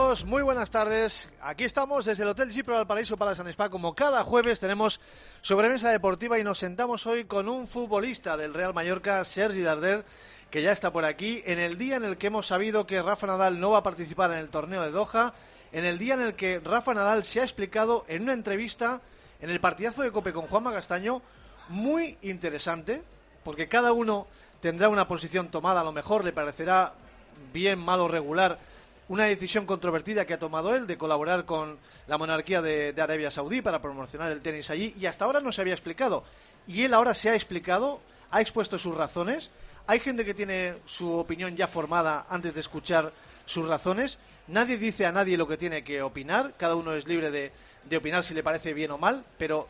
amigos, muy buenas tardes. Aquí estamos desde el Hotel Gipro Valparaíso Palace and Spa. Como cada jueves tenemos sobremesa deportiva y nos sentamos hoy con un futbolista del Real Mallorca, Sergi Darder, que ya está por aquí, en el día en el que hemos sabido que Rafa Nadal no va a participar en el torneo de Doha, en el día en el que Rafa Nadal se ha explicado en una entrevista en el partidazo de COPE con Juanma Castaño, muy interesante, porque cada uno tendrá una posición tomada, a lo mejor le parecerá bien, mal o regular una decisión controvertida que ha tomado él de colaborar con la monarquía de Arabia Saudí para promocionar el tenis allí, y hasta ahora no se había explicado, y él ahora se ha explicado, ha expuesto sus razones. Hay gente que tiene su opinión ya formada antes de escuchar sus razones. Nadie dice a nadie lo que tiene que opinar, cada uno es libre de opinar si le parece bien o mal, pero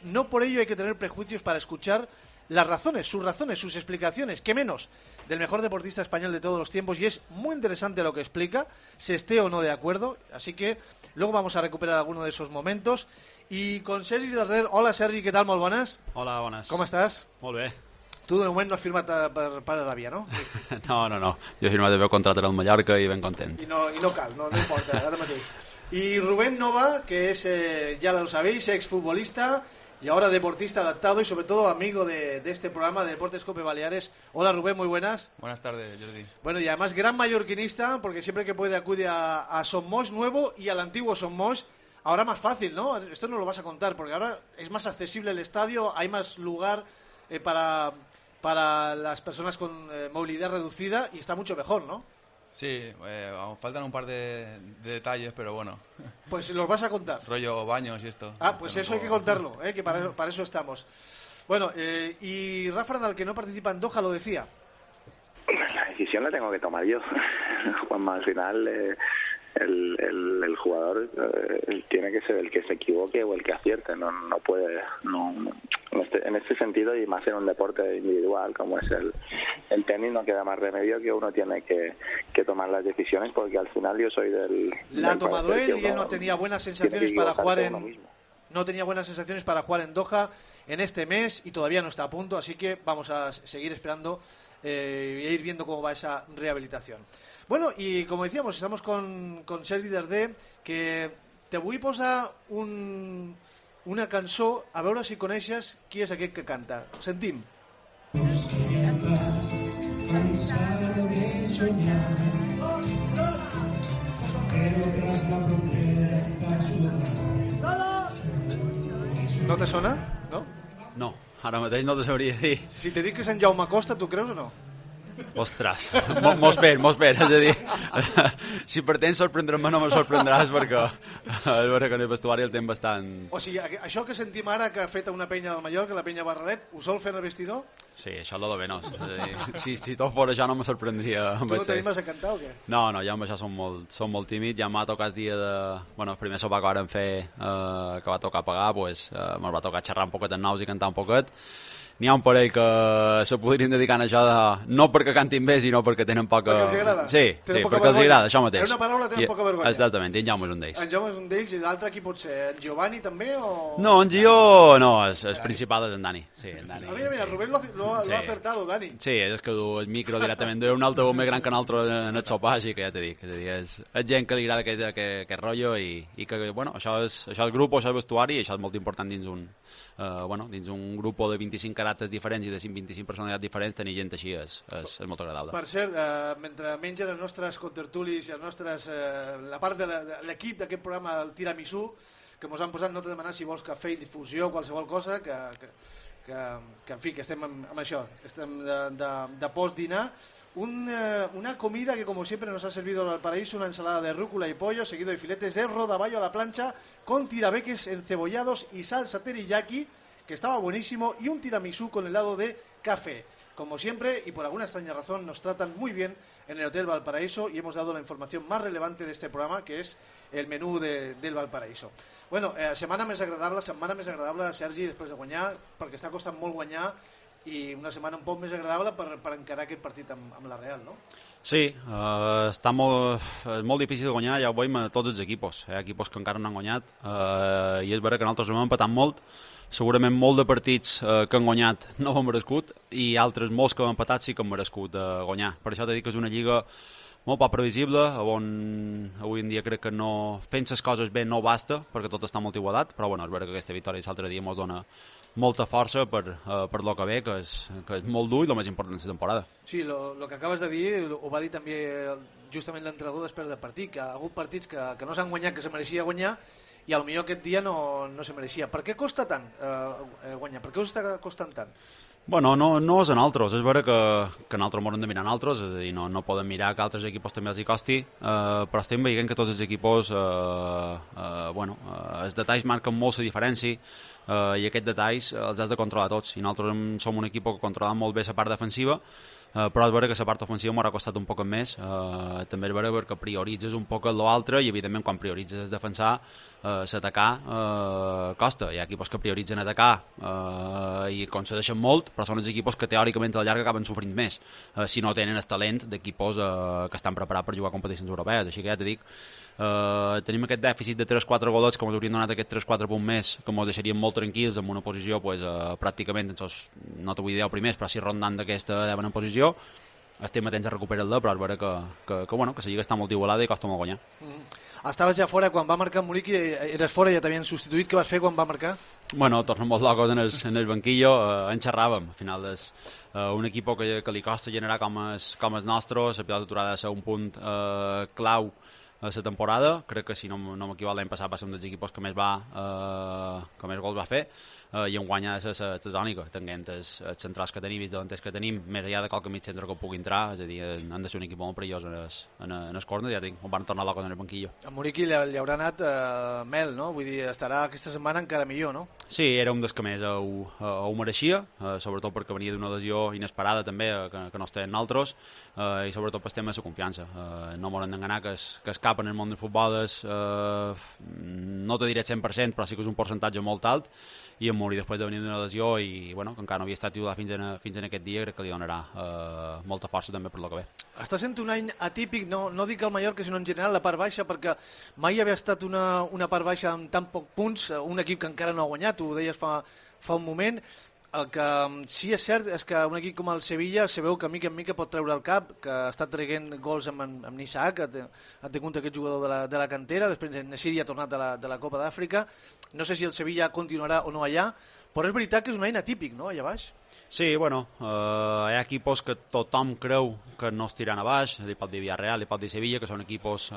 no por ello hay que tener prejuicios para escuchar las razones, sus explicaciones, qué menos, del mejor deportista español de todos los tiempos, y es muy interesante lo que explica, se esté o no de acuerdo, así que luego vamos a recuperar alguno de esos momentos. Y con Sergi Darder. Hola Sergi, què tal? Molt bones. Hola, bones. Com estàs? Molt bé. Tu de moment no has firmat per Aràbia, no? No. Jo he firmat el meu contracte al Mallorca i ben content. I no cal, no importa, ara mateix. Y Rubén Nova, que es, ya lo sabéis, exfutbolista y ahora deportista adaptado y sobre todo amigo de este programa de Deportes Cope Baleares. Hola Rubén, muy buenas. Buenas tardes, Jordi. Bueno, y además gran mallorquinista, porque siempre que puede acude a Somos nuevo y al antiguo Somos. Ahora más fácil, ¿no? Esto no lo vas a contar, porque ahora es más accesible el estadio, hay más lugar para las personas con movilidad reducida y está mucho mejor, ¿no? Sí, faltan un par de detalles, pero bueno. Pues los vas a contar. Rollo baños y esto. Ah, pues eso hay que contarlo, que para eso estamos. Bueno, y Rafa Nadal, que no participa en Doha, lo decía. La decisión la tengo que tomar yo. Juanma, al final el jugador tiene que ser el que se equivoque o el que acierte. No puede... En este sentido, y más en un deporte individual como es el tenis, no queda más remedio que uno tiene que tomar las decisiones, porque al final yo soy La ha tomado él y él no tenía buenas sensaciones para jugar en Doha en este mes y todavía no está a punto, así que vamos a seguir esperando y ir viendo cómo va esa rehabilitación. Bueno, y como decíamos, estamos con Sergi Darder, que te vull posar una cançó, a veure si coneixes qui és aquest que canta. Sentim. Cansado de soñar, pero tras la frontera está sudando. No te sona? No? No, ara mateix no te sabria dir. Si te dic que és en Jaume Costa, tu creus o no? Ostres, m'ho espero, és a dir, si per temps sorprendre'm no me sorprendràs perquè és vera que en el vestuari el temps bastant... O sigui, això que sentim ara que ha fet una penya del Mallorca, la penya Barralet, ho sol fer en el vestidor? Sí, això és lo de menys, és a dir, si tot fos això no me sorprendria. Tu no t'animes a cantar o què? No, jo amb això som molt tímids, ja m'ha tocat el dia de... Bueno, el primer sopar que vàrem fer, que va tocar pagar, doncs me'l va tocar xerrar un poquet en nous i cantar un poquet. N'hi ha un parell que se podrien dedicar a això no perquè cantin bé, sinó perquè tenen poca... Perquè els agrada? Sí, perquè els agrada, això mateix. En una paraula tenen poca vergonya. Exactament, en Jaume és un d'ells. En Jaume és un d'ells, i l'altre qui pot ser? En Giovanni també o...? No, en Gio no, el principal és en Dani. Sí, en Dani. Mira, Rubén lo ha acertado, Dani. Sí, és que du el micro directament d'un altaveu més gran que un altre en el sopar, així que ja t'he dit. És gent que li agrada aquest rotllo i que, bueno, això és el grup, això és el vestuari, i això és molt important dins un grup de 25 caràcters diferents i de 25 personalitats diferents, tenir gent així és molt agradable. Per cert, mentre mengen els nostres contertulis i la part de l'equip d'aquest programa, el tiramisú, que ens han posat, no t'he demanat si vols cafè i difusió o qualsevol cosa, que en fi, que estem amb això, estem de post-dinar. Una comida que, como siempre, nos ha servido al paraíso, una ensalada de rúcula y pollo, seguido de filetes de rodaballo a la plancha, con tirabeques encebollados y salsa teriyaki, que estaba buenísimo, y un tiramisú con helado de café. Como siempre, y por alguna extraña razón, nos tratan muy bien en el Hotel Valparaíso y hemos dado la información más relevante de este programa, que es el menú del Valparaíso. Bueno, setmana més agradable, Sergi, després de guanyar, perquè està costant molt guanyar, i una setmana un poc més agradable per encarar aquest partit amb la Real, no? Sí, està molt difícil de guanyar, ja ho veiem a tots els equipos. Hi ha equipos que encara no han guanyat i és vera que nosaltres hem empatat molt, segurament molt de partits que han guanyat no ho han merescut i altres molts que han empatat sí que han merescut guanyar. Per això t'he dit que és una lliga molt poc previsible, on avui en dia crec que no, fent les coses bé no basta, perquè tot està molt igualat, però bueno, és veritat que aquesta victòria l'altre dia ens dona molta força per lo que ve, que és molt dur i el més important de la temporada. Sí, lo que acabes de dir ho va dir també justament l'entrenador després del partit, que ha hagut partits que no s'han guanyat, que se mereixia guanyar, i potser aquest dia no se mereixia. Per què costa tant guanyar? Per què us està costant tant? Bueno, no és a nosaltres, és vera que nosaltres m'haurem de mirar a nosaltres, és a dir, no podem mirar que altres equipos també els hi costi, però estem veient que tots els equipos, els detalls marquen molt la diferència, i aquests detalls els has de controlar tots, i nosaltres som un equip que controla molt bé la part defensiva, però és vera que la part ofensiva m'haurà costat un poc més, també és vera perquè prioritzes un poc l'altre, i evidentment quan prioritzes defensar, s'atacar costa. Hi ha equipos que prioritzen atacar i concedeixen molt, però són els equipos que teòricament a la llarga acaben sofrint més si no tenen el talent d'equipos que estan preparats per jugar a competicions europees. Així que ja t'he dit, tenim aquest dèficit de 3-4 golets que ens haurien donat aquests 3-4 punts més, que ens deixarien molt tranquils en una posició pràcticament, no t'ho vull dir els primers, però si rondant d'aquesta devena posició. Estem atents a recuperar-la, però és vera que la lliga està molt igualada i costa molt guanyar. Estaves ja fora quan va marcar Muriqui, eres fora i ja t'havien substituït. Què vas fer quan va marcar? Bueno, tornem molt locos en el banquillo, en xerràvem. Al final és un equip que li costa generar com els nostres, la pilota aturada ha de ser un punt clau a la temporada. Crec que si no m'equivoco l'any passat va ser un dels equipos que més gols va fer, i en guanya la tònica, tenint els centrals que tenim i els delanters que tenim, més enllà de qualque mig centre que pugui entrar, és a dir, han de ser un equip molt perillós en el corner, ja dic, on van tornar locos en el banquillo. A Muriqui li haurà anat mel, no? Vull dir, estarà aquesta setmana encara millor, no? Sí, era un dels que més ho mereixia, sobretot perquè venia d'una lesió inesperada també, que no estem nosaltres, i sobretot per tema de la confiança. No m'haurem d'enganar que es cap en el món del futbol no te diré 100%, però sí que és un percentatge molt alt, i en Muri després de venir d'una lesió i que encara no havia estat titular fins en aquest dia, crec que li donarà molta força també per lo que ve. Està sent un any atípic, no dic al Mallorca sinó en general la part baixa, perquè mai havia estat una part baixa amb tan pocs punts, un equip que encara no ha guanyat, ho deies fa un moment. El que sí és cert és que un equip com el Sevilla se veu que mica en mica pot treure el cap, que està traient gols amb Nissac, ha tingut aquest jugador de la cantera, després Nesiri ha tornat de la Copa d'Àfrica. No sé si el Sevilla continuarà o no allà, però és veritat que és un any atípic, no?, allà baix. Sí, bueno, hi ha equipos que tothom creu que no es tiran a baix, li pot dir Villarreal, li pot dir Sevilla, que són equipos,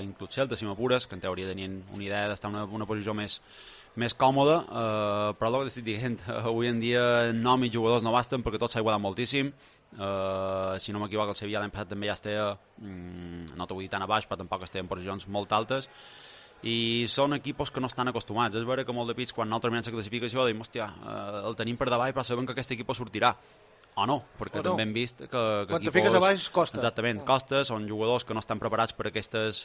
inclús Celta, si m'apures, que en teoria tenien una idea d'estar en una posició més còmode, però el que estic dient, avui en dia nom i jugadors no basten perquè tot s'ha igualat moltíssim. Si no m'equivoco, el Sevilla l'any passat també ja estava, no t'ho vull dir tan a baix, però tampoc estava en posicions molt altes, i són equipos que no estan acostumats. És vera que molt de pits, quan nosaltres mirem la classificació, diem, hòstia, el tenim per davall, però sabem que aquest equip sortirà. O no, perquè també hem vist que quan te fiques a baix costa. Exactament, costa, són jugadors que no estan preparats per aquestes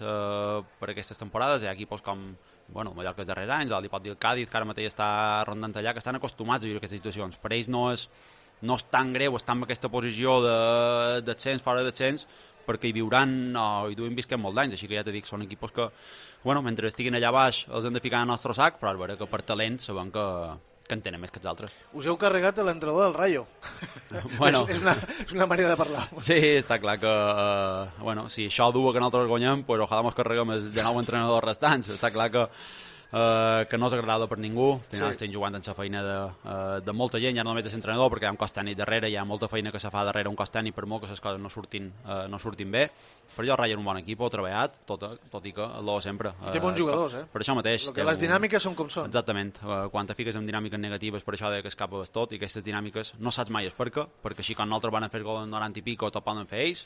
temporades. Hi ha equipos com Mallorca els darrers anys, el pot dir el Cádiz, que ara mateix està rondant allà, que estan acostumats a viure aquestes situacions. Per ells no és tan greu estar en aquesta posició de descens, fora de descens, perquè hi viuran i duim visquem molt d'anys, així que ja t'he dit, són equipos que, mentre estiguin allà baix els hem de ficar en el nostre sac, però és vera que per talent sabem que en tenen més que els altres. Us heu carregat l'entrenador del Rayo. Bueno. és una manera de parlar. Sí, està clar que si això dua que nosaltres guanyem, pues ojalà mos carreguem els 19 entrenadors restants. Està clar que no és agradable per ningú. Al final estem jugant en la feina de molta gent, ja no només de l'entrenador, perquè hi ha un cos tècnic darrere, hi ha molta feina que se fa darrere un cos tècnic, per molt que les coses no surtin bé. Per allò Rayo és un bon equip, ho ha treballat, tot i que l'ho sempre. Té bons jugadors, Per això mateix. Les dinàmiques són com són. Exactament. Quan te fiques en dinàmiques negatives, per això que escapes tot, i aquestes dinàmiques no saps mai perquè així quan nosaltres van a fer gol en 90 i pico, tot poden fer ells,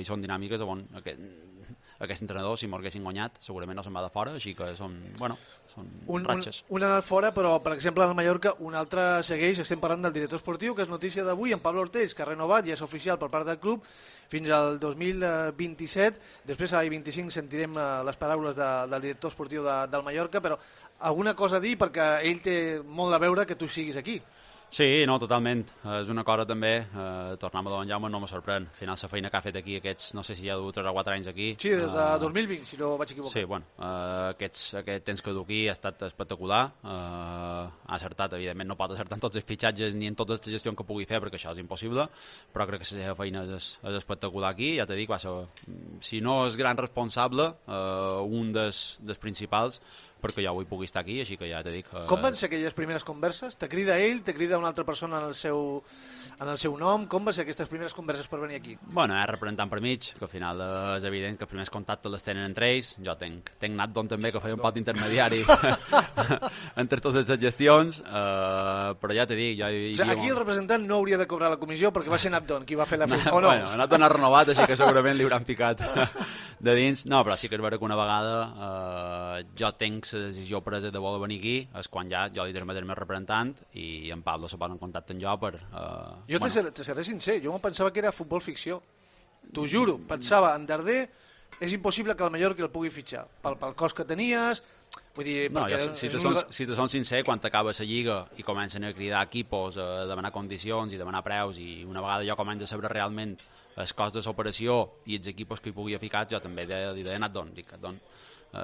i són dinàmiques on aquest entrenador, si m'haguessin guanyat, segurament no se'n va de fora, així que són ratxes. Un ha anat fora, però, per exemple, al Mallorca, un altre segueix. Estem parlant del director esportiu, que és notícia d'avui, en Pablo Ortells, que ha renovat, ja és oficial per part del club, fins al 2027. Després, a l'any 25, sentirem les paraules del director esportiu del Mallorca, però alguna cosa a dir, perquè ell té molt a veure que tu siguis aquí. Sí, no, totalment. És una cosa també, tornar a Don Jaume no me sorprèn. Al final la feina que ha fet aquí aquests, no sé si ja ha dut 3 o 4 anys aquí. Sí, des de 2020, si no vaig equivocar. Sí, bueno, aquest temps que du aquí ha estat espectacular. Ha acertat, evidentment no pot acertar en tots els fitxatges ni en tota la gestió que pugui fer, perquè això és impossible, però crec que la seva feina és espectacular aquí. Ja t'he dit, va ser, si no és gran responsable, un dels principals, perquè jo avui pugui estar aquí, així que ja t'he dit... Com van ser aquelles primeres converses? Te crida ell, te crida una altra persona en el seu nom? Com van ser aquestes primeres converses per venir aquí? Bueno, representant per mig, que al final és evident que els primers contactes les tenen entre ells. Jo tenc Natdon també, que feia un pot intermediari entre totes les gestions, però ja t'he dit... Aquí el representant no hauria de cobrar la comissió perquè va ser Natdon qui va fer la feina, o no? Bueno, Natdon ha renovat, així que segurament li hauran picat de dins. No, però sí que és vera que una vegada jo tenc la decisió presa de voler venir aquí, és quan ja jo li transmetré el meu representant i en Pablo se posa en contacte amb jo per... Jo te seré sincer, jo em pensava que era futbol ficció. T'ho juro, pensava, en Darder és impossible que el Mallorca el pugui fitxar. Pel cost que tenies... Vull dir, no, si te són sincer, quan t'acaba la lliga i comencen a cridar equipos, a demanar condicions i demanar preus, i una vegada jo començo a saber realment el cost de l'operació i els equipos que hi pugui ficar, jo també li he anat d'on.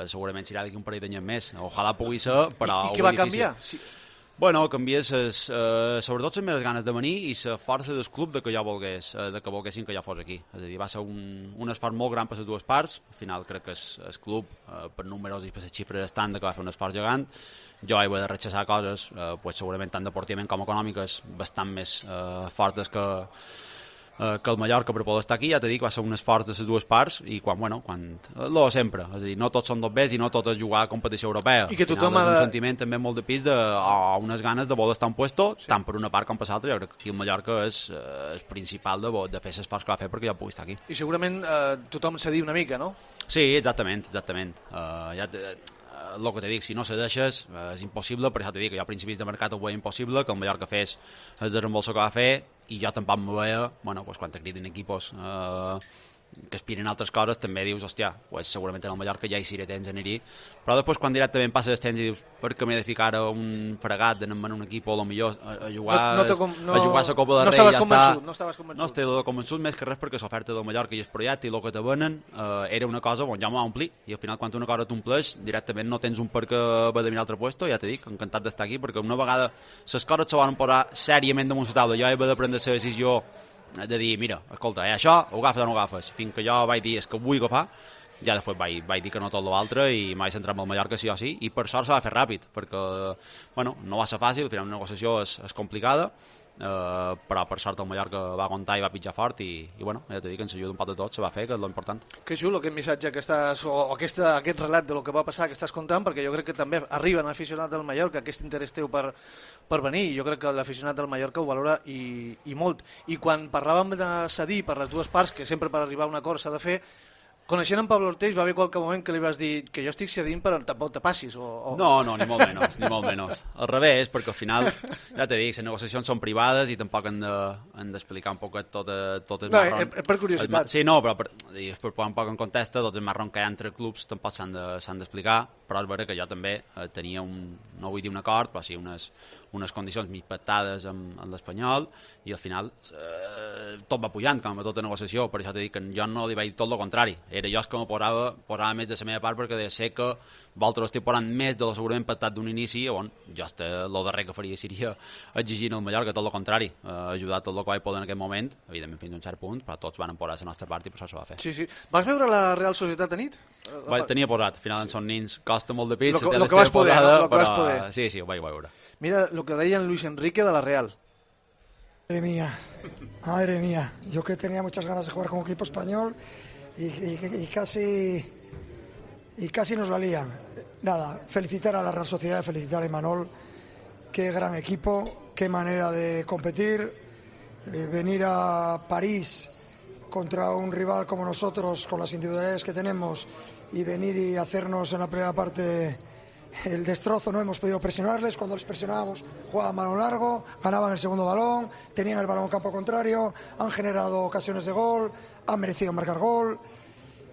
Segurament serà d'aquí un parell d'anys més. Ojalà pugui ser, però... I què va canviar? Sí. Bueno, canvies sobretot les meves ganes de venir i la força del club de que jo volgués, de que volguessin que jo fos aquí. És a dir, va ser un esforç molt gran per les dues parts. Al final crec que el club, per números i per les xifres estan, que va fer un esforç gegant. Jo he de rechaçar coses, segurament tant deportivament com econòmiques, bastant més fortes que el Mallorca per poder estar aquí. Ja t'he dit que va ser un esforç de les dues parts i sempre, és a dir, no tots són dos bes i no tot és jugar a competició europea. I que tothom ha de... un sentiment també molt de pis unes ganes de voler estar en puesto, sí. Tant per una part com per l'altra. Jo crec que aquí el Mallorca és principal de fer l'esforç que va fer perquè jo pugui estar aquí. I segurament tothom s'ha dit una mica, no? Sí, exactament. El que t'he dit, si no se deixes és impossible, per això t'he dit que jo a principis de mercat ho veia impossible, que el Mallorca fes el desembolso que va fer, i jo tampoc me veia, quan te criden equipos que aspiren a altres coses, també dius, hòstia, segurament en el Mallorca ja hi seré temps a anar-hi, però després quan directament passes el temps i dius, per què m'he de ficar a un fregat d'anar en un equip o millor a jugar a la Copa del Rei, ja està. No estaves convençut. No estic convençut, més que res perquè l'oferta del Mallorca i el projecte i el que te venen era una cosa, jo m'ho va omplir, i al final quan una cosa t'ompleix, directament no tens un per què haver de mirar altre puesto. Ja t'he dit, encantat d'estar aquí, perquè una vegada les coses se van posar sèriament damunt la taula, jo he de prendre la decisió de dir, mira, escolta, això ho agafes o no ho agafes, fins que jo vaig dir és que ho vull agafar, ja després vaig dir que no tot l'altre i m'he centrat en el Mallorca sí o sí, i per sort s'ha de fer ràpid, perquè no va ser fàcil, al final una negociació és complicada, però per sort el Mallorca va aguantar i va pitjar fort i ja t'he dit que ens ajuda un poc de tot, se va fer, que és l'important. Que xulo aquest missatge que estàs, o aquest relat de lo que va passar que estàs contant, perquè jo crec que també arriba a l'aficionat del Mallorca aquest interès teu per venir, i jo crec que l'aficionat del Mallorca ho valora i molt. I quan parlàvem de cedir per les dues parts, que sempre per arribar a un acord s'ha de fer, coneixent en Pablo Orteix va haver qualque moment que li vas dir que jo estic cedint però tampoc te passis No, ni molt menys al revés, perquè al final ja t'he dit, les negociacions són privades i tampoc han d'explicar un poc tot el marron. Per curiositat. Sí, no, però per posar un poc en context, tot el marron que hi ha entre clubs tampoc s'han d'explicar, però és vera que jo també tenia no vull dir un acord, però sí unes condicions mig pactades amb l'Espanyol, i al final tot va pujant, com a tota negociació. Per això t'he dit que jo no li vaig dir tot el contrari, era jo que me posava més de la meva part, perquè sé que vosaltres estic posant més de lo segurament pactat d'un inici, jo el darrer que faria seria exigir al Mallorca tot el contrari, ajudar tot el que vaig poder en aquest moment, evidentment fins a un cert punt, però tots van posar la nostra part i per això se va fer. Sí. Vas veure la Real Societat a nit? Tenia posat, al final en són nins, costa molt de pit, lo que vas poder, no? Però sí, ho vaig veure. Mira el que deia en Luis Enrique de la Real. Madre mía, yo que tenía muchas ganas de jugar con equipo español y casi nos la lían. Nada, felicitar a la Real Sociedad, felicitar a Imanol, qué gran equipo, qué manera de competir, venir a París contra un rival como nosotros, con las individualidades que tenemos, y venir y hacernos en la primera parte el destrozo. No hemos podido presionarles, cuando les presionábamos jugaban balón largo, ganaban el segundo balón, tenían el balón en campo contrario, han generado ocasiones de gol, han merecido marcar gol,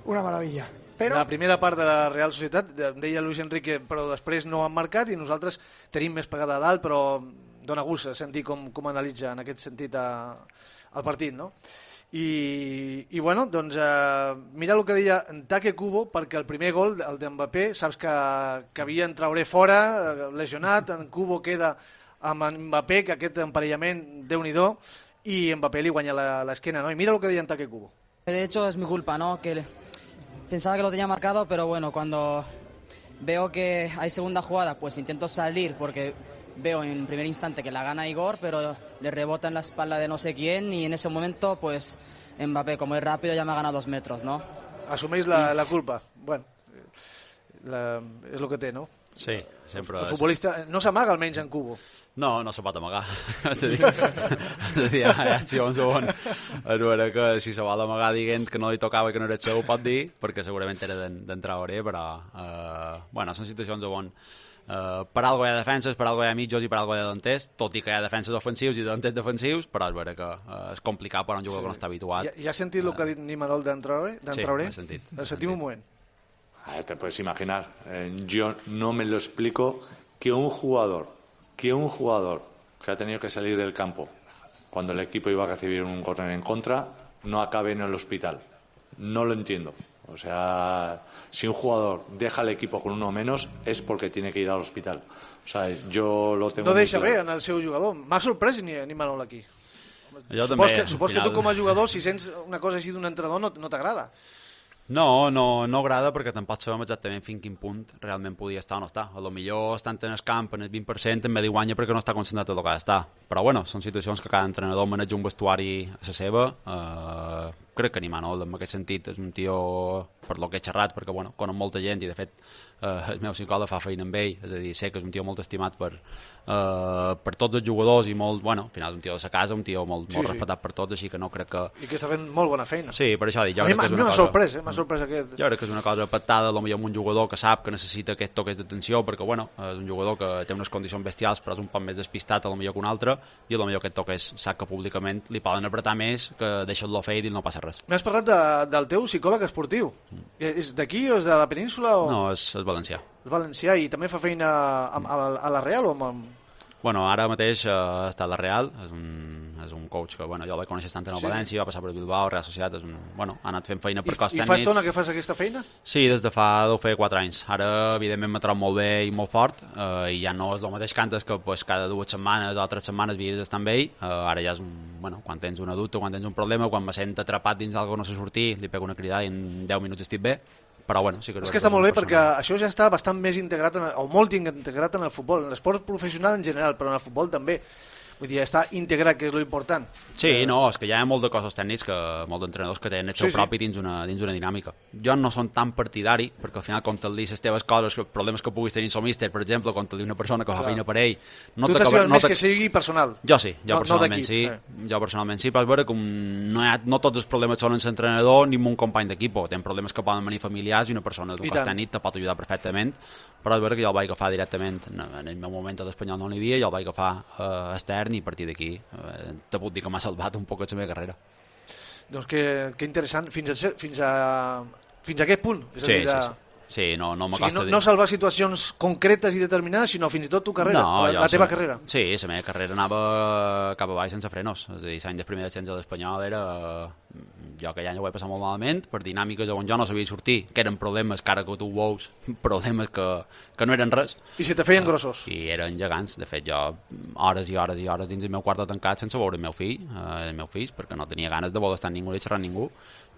una maravilla. Però... La primera part de la Real Societat, deia Luis Enrique, però després no han marcat i nosaltres tenim més pegada a dalt, però dona gust sentir com analitza en aquest sentit el partit, no? I bueno, doncs mira el que deia Take Kubo, perquè el primer gol, el d'Mbappé, saps que havia en Traoré fora, lesionat, en Kubo queda amb Mbappé, que aquest emparellament Déu-n'hi-do, i Mbappé li guanya l'esquena, ¿no? Y mira lo que deia en Take Kubo. De hecho es mi culpa, ¿no? Que pensaba que lo tenía marcado, pero bueno, cuando veo que hay segunda jugada, pues intento salir porque veo en primer instante que la gana Igor, pero le rebota en la espalda de no sé quién y en ese momento, pues Mbappé, como es rápido, ya me ha ganado 2 metros, ¿no? Asumeix la culpa. Bueno, és el que té, no? Sí, sempre... El futbolista no s'amaga almenys en Kubo. No se pot amagar. És a dir, si un segon és vera que si se vol amagar dient que no li tocava i que no era el seu, ho pot dir, perquè segurament era d'en Traoré, però bueno, són situacions on per algo hi ha defenses, per algo hi ha mitjos i per algo hi ha delanters, tot i que hi ha defenses ofensius i delanters defensius, però és vera que és complicat per a un jugador que no està habituat. Ja has sentit el que ha dit Nimanol d'en Traoré? Sí, ho he sentit. Sentim un moment. Te puedes imaginar, yo no me lo explico que un jugador que ha tenido que salir del campo cuando el equipo iba a recibir un córner en contra no acabe en el hospital. No lo entiendo. O sea, si un jugador deja el equipo con uno menos es porque tiene que ir al hospital. O sea, yo lo tengo no muy deixa claro. bé en el seu jugador. M'ha sorprès ni Manol aquí. Supos que tu com a jugador, si sents una cosa així d'un entrenador, no t'agrada. No agrada perquè tampoc sabem exactament fins quin punt realment podia estar o no estar. A lo millor estant en el camp en el 20% en ve de guanya perquè no està concentrat en el que ha d'estar. Però bueno, són situacions que cada entrenador maneja un vestuari a la seva. Crec que ni Manol en aquest sentit és un tio, per lo que he xerrat, perquè bueno, conec molta gent i de fet el meu psicòleg fa feina amb ell, és a dir, sé que és un tio molt estimat per tots els jugadors i molt, bueno, al final és un tio de sa casa, un tio molt respectat per tots, així que no crec que... I que està fent molt bona feina. Sí, per això dic, jo crec que és una cosa... M'ha sorprès aquest... Jo crec que és una cosa pactada, potser amb un jugador que sap que necessita aquest toques d'atenció, perquè bueno, és un jugador que té unes condicions bestials, però és un poc més despistat potser que un altre, i potser aquest toques sap que públicament li poden apretar més, que deixa-lo fer i no passa res. M'has parlat del teu psicòleg esportiu. És d'aquí o és de la península? O... No, és valencià. És valencià i també fa feina a la Real o amb... Bueno, ara mateix està a la Real, és un coach que bueno, jo el vaig conèixer tant en el València, va passar per Bilbao, Real Societat, bueno, ha anat fent feina per cos tècnics. I fa estona que fas aquesta feina? Sí, des de deu fer 4 anys. Ara, evidentment, m'ha trobat molt bé i molt fort, i ja no és el mateix que antes, que pues, cada 2 setmanes o 3 setmanes havies d'estar amb ell. Ara ja és quan tens una dubte, quan tens un problema, quan me sent atrapat dins d'algú que no sé sortir, li pego una cridada i en 10 minuts estic bé. Però bueno, sí que és que està molt bé perquè això ja està bastant més integrat o molt integrat en el futbol, en l'esport professional en general, però en el futbol també. Vull dir, està integrat, que és l'important. Sí, no, és que hi ha molt de cossos tècnics, molts d'entrenadors que tenen el seu propi dins una dinàmica. Jo no som tan partidari, perquè al final contar-li les teves coses, problemes que puguis tenir en el míster, per exemple, contar-li una persona que fa feina per ell... Tu t'assegures més que sigui personal. Jo sí, personalment sí, però és vera que no tots els problemes són en l'entrenador ni en un company d'equip, tenen problemes que poden venir familiars i una persona d'un cos tècnic te pot ajudar perfectament, però és vera que jo el vaig agafar directament, en el meu moment a l'Espanyol no n'hi havia, jo el vaig agafar extern i a partir d'aquí te puc dir que m'ha salvat un poc la meva carrera. Doncs que interessant, fins a aquest punt. És a dir, sí, no m'acosta dir. No salvar situacions concretes i determinades, sinó fins i tot tu carrera, la teva carrera. Sí, la meva carrera anava cap avall sense frenos. És a dir, l'any del primer descens a l'Espanyol era... Jo aquell any ho vaig passar molt malament, per dinàmiques on jo no sabia sortir, que eren problemes, que ara que tu ho veus, problemes que no eren res. I se te feien grossos. I eren gegants. De fet, jo hores i hores i hores dins el meu quarto tancat sense veure el meu fill, perquè no tenia ganes de voler estar amb ningú i xerrar amb ningú.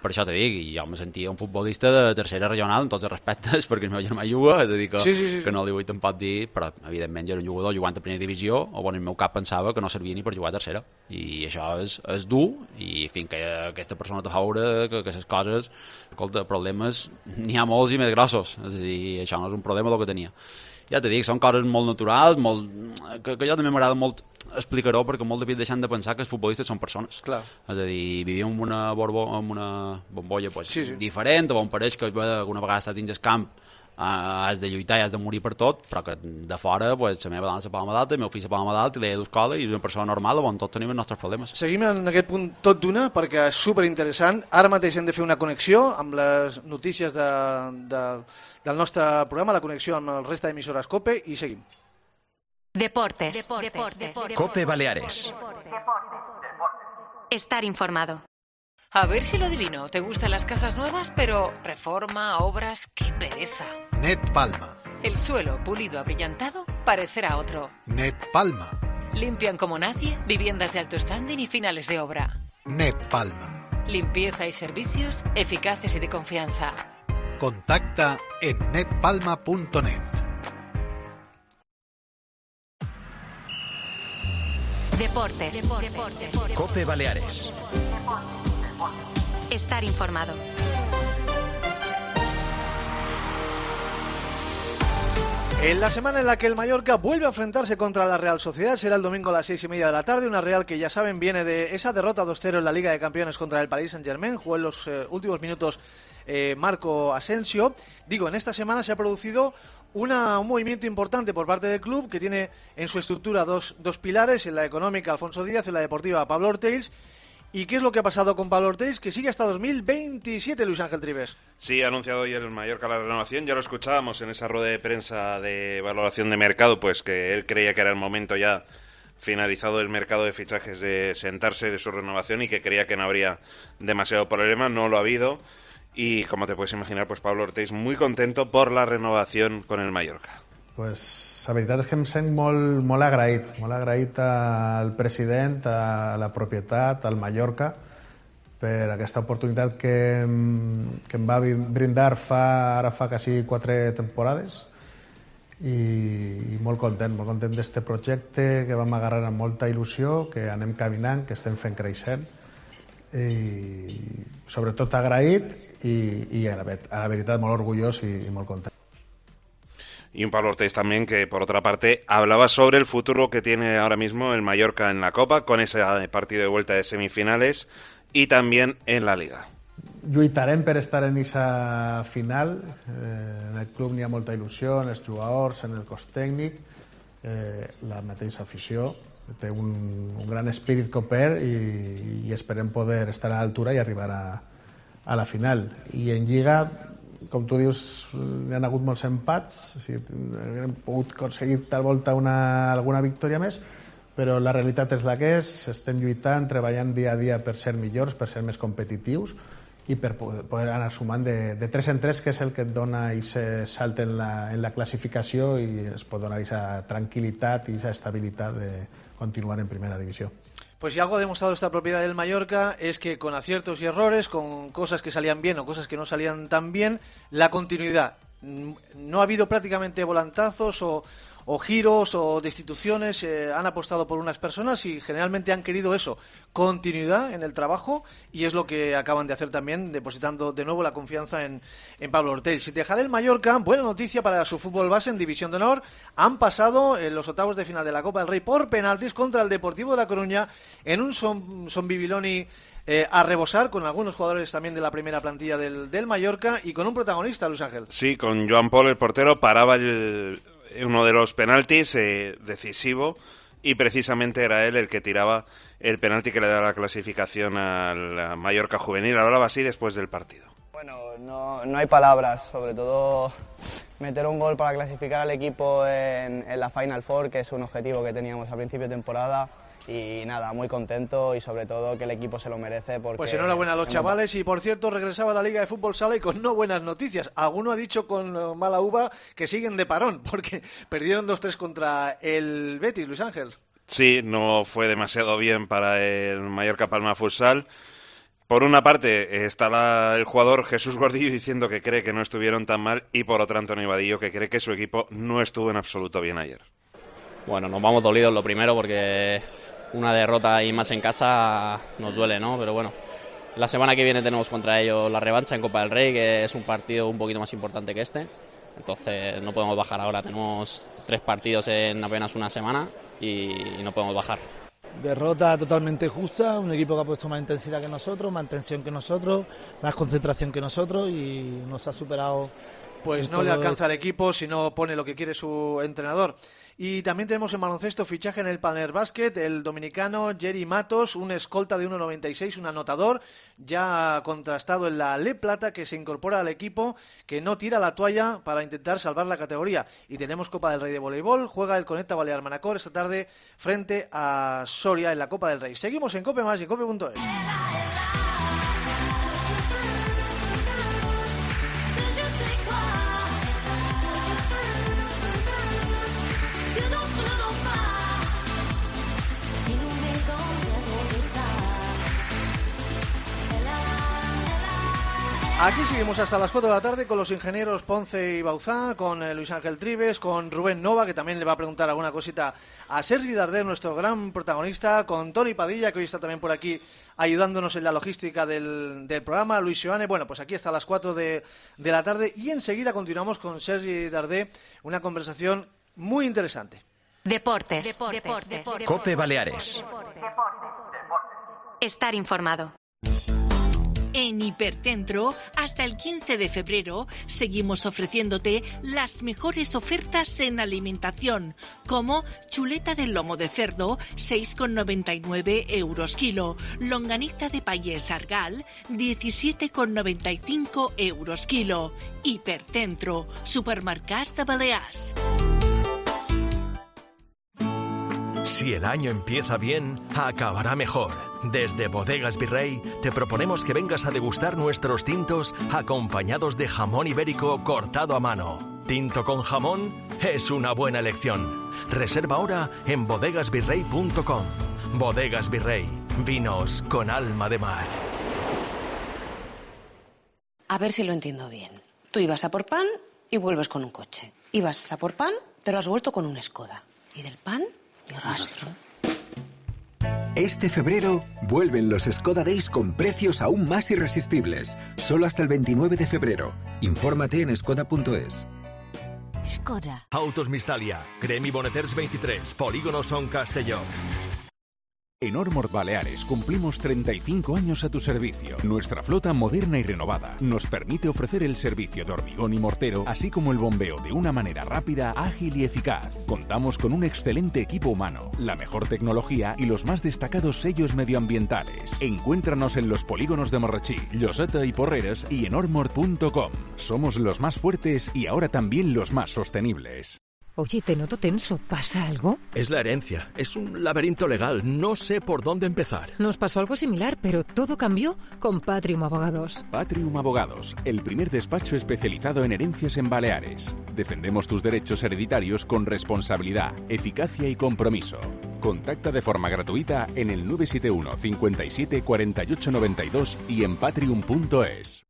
Per això te dic, i jo me sentia un futbolista de tercera regional en tots els respectes, perquè el meu germà juga, és a dir que no li vull tampoc dir, però evidentment jo era un jugador jugant a primera divisió, o en el meu cap pensava que no servia ni per jugar a tercera, i això és dur, i fins que aquesta persona te fa veure que les coses, escolta, problemes n'hi ha molts i més grossos, és a dir, això no és un problema el que tenia. Ja t'he dit, són coses molt naturals, que jo també m'agrada molt explicar-ho, perquè molt de deixant de pensar que els futbolistes són persones. Clar. És a dir, vivim en una bombolla diferent, on pareix que alguna vegada estàs dins el camp, has de lluitar i has de morir per tot, però que de fora la meva dona se palma d'alta, el meu fill se palma d'alta, i l'he d'escola, i és una persona normal on tots tenim els nostres problemes. Seguim en aquest punt tot d'una, perquè és superinteressant. Ara mateix hem de fer una connexió amb les notícies del nostre programa, la connexió amb el resta d'emissores COPE, i seguim. Deportes. COPE Baleares. Estar informado. A ver si lo adivino. ¿Te gustan las casas nuevas, pero reforma, obras? ¡Qué pereza! Net Palma. El suelo pulido abrillantado parecerá otro. Net Palma. Limpian como nadie, viviendas de alto standing y finales de obra. Net Palma. Limpieza y servicios eficaces y de confianza. Contacta en netpalma.net. Deportes. COPE Baleares. Estar informado. En la semana en la que el Mallorca vuelve a enfrentarse contra la Real Sociedad, será el domingo a las 6:30 de la tarde, una Real que ya saben viene de esa derrota 2-0 en la Liga de Campeones contra el Paris Saint-Germain, jugó en los últimos minutos Marco Asensio. Digo, en esta semana se ha producido un movimiento importante por parte del club, que tiene en su estructura dos pilares, en la económica Alfonso Díaz, en la deportiva Pablo Ortells. ¿Y qué es lo que ha pasado con Pablo Ortells? Que sigue hasta 2027, Luis Ángel Trives. Sí, ha anunciado hoy el Mallorca la renovación. Ya lo escuchábamos en esa rueda de prensa de valoración de mercado, pues que él creía que era el momento ya finalizado el mercado de fichajes de sentarse de su renovación y que creía que no habría demasiado problema. No lo ha habido. Y como te puedes imaginar, pues Pablo Ortells muy contento por la renovación con el Mallorca. Pues la veritat és que em sent molt agraït al president, a la propietat, al Mallorca, per aquesta oportunitat que em va brindar ara fa quasi 4 temporades, i molt content d'este projecte que vam agarrar amb molta il·lusió, que anem caminant, que estem fent creixent, i sobretot agraït i a la veritat molt orgullós i molt content. Y un Pablo Ortells también que, por otra parte, hablaba sobre el futuro que tiene ahora mismo el Mallorca en la Copa, con ese partido de vuelta de semifinales, y también en la Liga. Lluitarem per estar en esa final. En el club n'hi ha molta il·lusió, en els jugadors, en el cos tècnic, la mateixa afició. Té un gran espírit coper i esperem poder estar a l'altura i arribar a la final. I en Lliga, com tu dius, hi ha hagut molts empats, hem pogut aconseguir tal volta alguna victòria més, però la realitat és la que és, estem lluitant, treballant dia a dia per ser millors, per ser més competitius i per poder anar sumant de 3 en 3, que és el que et dona aquest salt en la classificació i es pot donar aquesta tranquil·litat i aquesta estabilitat de continuar en primera divisió. Pues si algo ha demostrado esta propiedad del Mallorca es que con aciertos y errores, con cosas que salían bien o cosas que no salían tan bien, la continuidad. No ha habido prácticamente volantazos o giros o destituciones, han apostado por unas personas y generalmente han querido eso, continuidad en el trabajo, y es lo que acaban de hacer también, depositando de nuevo la confianza en Pablo Ortells. Si dejará el Mallorca, buena noticia para su fútbol base en División de Honor, han pasado en los octavos de final de la Copa del Rey por penaltis contra el Deportivo de La Coruña en un Son Bibiloni a rebosar, con algunos jugadores también de la primera plantilla del Mallorca y con un protagonista, Luis Ángel. Sí, con Joan Pol, el portero, paraba uno de los penaltis decisivo, y precisamente era él el que tiraba el penalti que le daba la clasificación al Mallorca juvenil. Hablaba así después del partido. Bueno, no hay palabras, sobre todo meter un gol para clasificar al equipo en la Final Four, que es un objetivo que teníamos a principio de temporada. Y nada, muy contento y sobre todo que el equipo se lo merece. Porque pues enhorabuena a los chavales. Y por cierto, regresaba a la Liga de Fútbol Sala y con no buenas noticias. Alguno ha dicho con mala uva que siguen de parón porque perdieron 2-3 contra el Betis, Luis Ángel. Sí, no fue demasiado bien para el Mallorca Palma Futsal. Por una parte está el jugador Jesús Gordillo diciendo que cree que no estuvieron tan mal, y por otra Antonio Vadillo, que cree que su equipo no estuvo en absoluto bien ayer. Bueno, nos vamos dolidos lo primero porque una derrota y más en casa nos duele, ¿no? Pero bueno, la semana que viene tenemos contra ellos la revancha en Copa del Rey, que es un partido un poquito más importante que este. Entonces no podemos bajar ahora, tenemos 3 partidos en apenas una semana y no podemos bajar. Derrota totalmente justa, un equipo que ha puesto más intensidad que nosotros, más tensión que nosotros, más concentración que nosotros y nos ha superado. Pues no le alcanza al equipo si no pone lo que quiere su entrenador. Y también tenemos en baloncesto fichaje en el Palmer Basket, el dominicano Jerry Matos, un escolta de 1,96, un anotador, ya contrastado en la Le Plata, que se incorpora al equipo, que no tira la toalla para intentar salvar la categoría. Y tenemos Copa del Rey de voleibol, juega el Conecta Balear Manacor esta tarde frente a Soria en la Copa del Rey. Seguimos en Cope Más y Cope.es. Aquí seguimos hasta las 4 de la tarde con los ingenieros Ponce y Bauzá, con Luis Ángel Trives, con Rubén Nova, que también le va a preguntar alguna cosita a Sergi Darder, nuestro gran protagonista, con Toni Padilla, que hoy está también por aquí ayudándonos en la logística del programa, Luis Joane. Bueno, pues aquí hasta las 4 de la tarde y enseguida continuamos con Sergi Darder, una conversación muy interesante. Deportes. Cope Baleares. Estar informado. En Hipercentro, hasta el 15 de febrero, seguimos ofreciéndote las mejores ofertas en alimentación, como chuleta de lomo de cerdo, 6,99 € kilo, longaniza de payés argal, 17,95 € kilo. Hipercentro, supermercats de Balears. Si el año empieza bien, acabará mejor. Desde Bodegas Virrey te proponemos que vengas a degustar nuestros tintos acompañados de jamón ibérico cortado a mano. Tinto con jamón es una buena elección. Reserva ahora en bodegasvirrey.com. Bodegas Virrey, vinos con alma de mar. A ver si lo entiendo bien. Tú ibas a por pan y vuelves con un coche. Ibas a por pan, pero has vuelto con un Skoda. Y del pan, ni rastro. Este febrero vuelven los Skoda Days con precios aún más irresistibles. Solo hasta el 29 de febrero. Infórmate en skoda.es. Skoda. Autos Mistalia, Cremi Boneters 23, Polígono Son Castelló. En Ormord Baleares cumplimos 35 años a tu servicio. Nuestra flota moderna y renovada nos permite ofrecer el servicio de hormigón y mortero, así como el bombeo de una manera rápida, ágil y eficaz. Contamos con un excelente equipo humano, la mejor tecnología y los más destacados sellos medioambientales. Encuéntranos en los polígonos de Marratxí, Lloseta y Porreres y en ormord.com. Somos los más fuertes y ahora también los más sostenibles. Oye, te noto tenso. ¿Pasa algo? Es la herencia. Es un laberinto legal. No sé por dónde empezar. Nos pasó algo similar, pero todo cambió con Patrium Abogados. Patrium Abogados, el primer despacho especializado en herencias en Baleares. Defendemos tus derechos hereditarios con responsabilidad, eficacia y compromiso. Contacta de forma gratuita en el 971 57 48 92 y en patrium.es.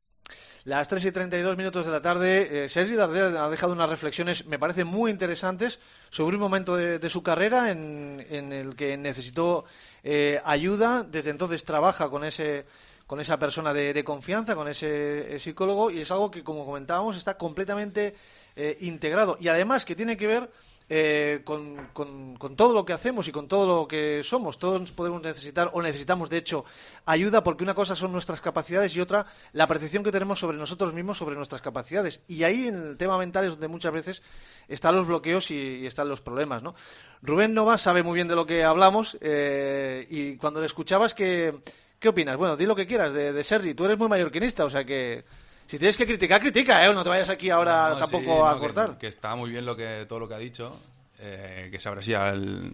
Las 3:32 de la tarde, Sergi Darder ha dejado unas reflexiones, me parecen muy interesantes, sobre un momento de su carrera en el que necesitó ayuda. Desde entonces trabaja con esa persona de confianza, con ese psicólogo, y es algo que, como comentábamos, está completamente integrado. Y además que tiene que ver con todo lo que hacemos y con todo lo que somos. Todos podemos necesitar, o necesitamos de hecho, ayuda, porque una cosa son nuestras capacidades y otra la percepción que tenemos sobre nosotros mismos, sobre nuestras capacidades. Y ahí, en el tema mental, es donde muchas veces están los bloqueos y están los problemas, ¿no? Rubén Nova sabe muy bien de lo que hablamos, y cuando le escuchabas, ¿qué opinas? Bueno, di lo que quieras de Sergi. Tú eres muy mallorquinista, o sea que si tienes que criticar, critica, ¿eh? No te vayas aquí ahora tampoco a cortar. Que está muy bien todo lo que ha dicho, que se abre así al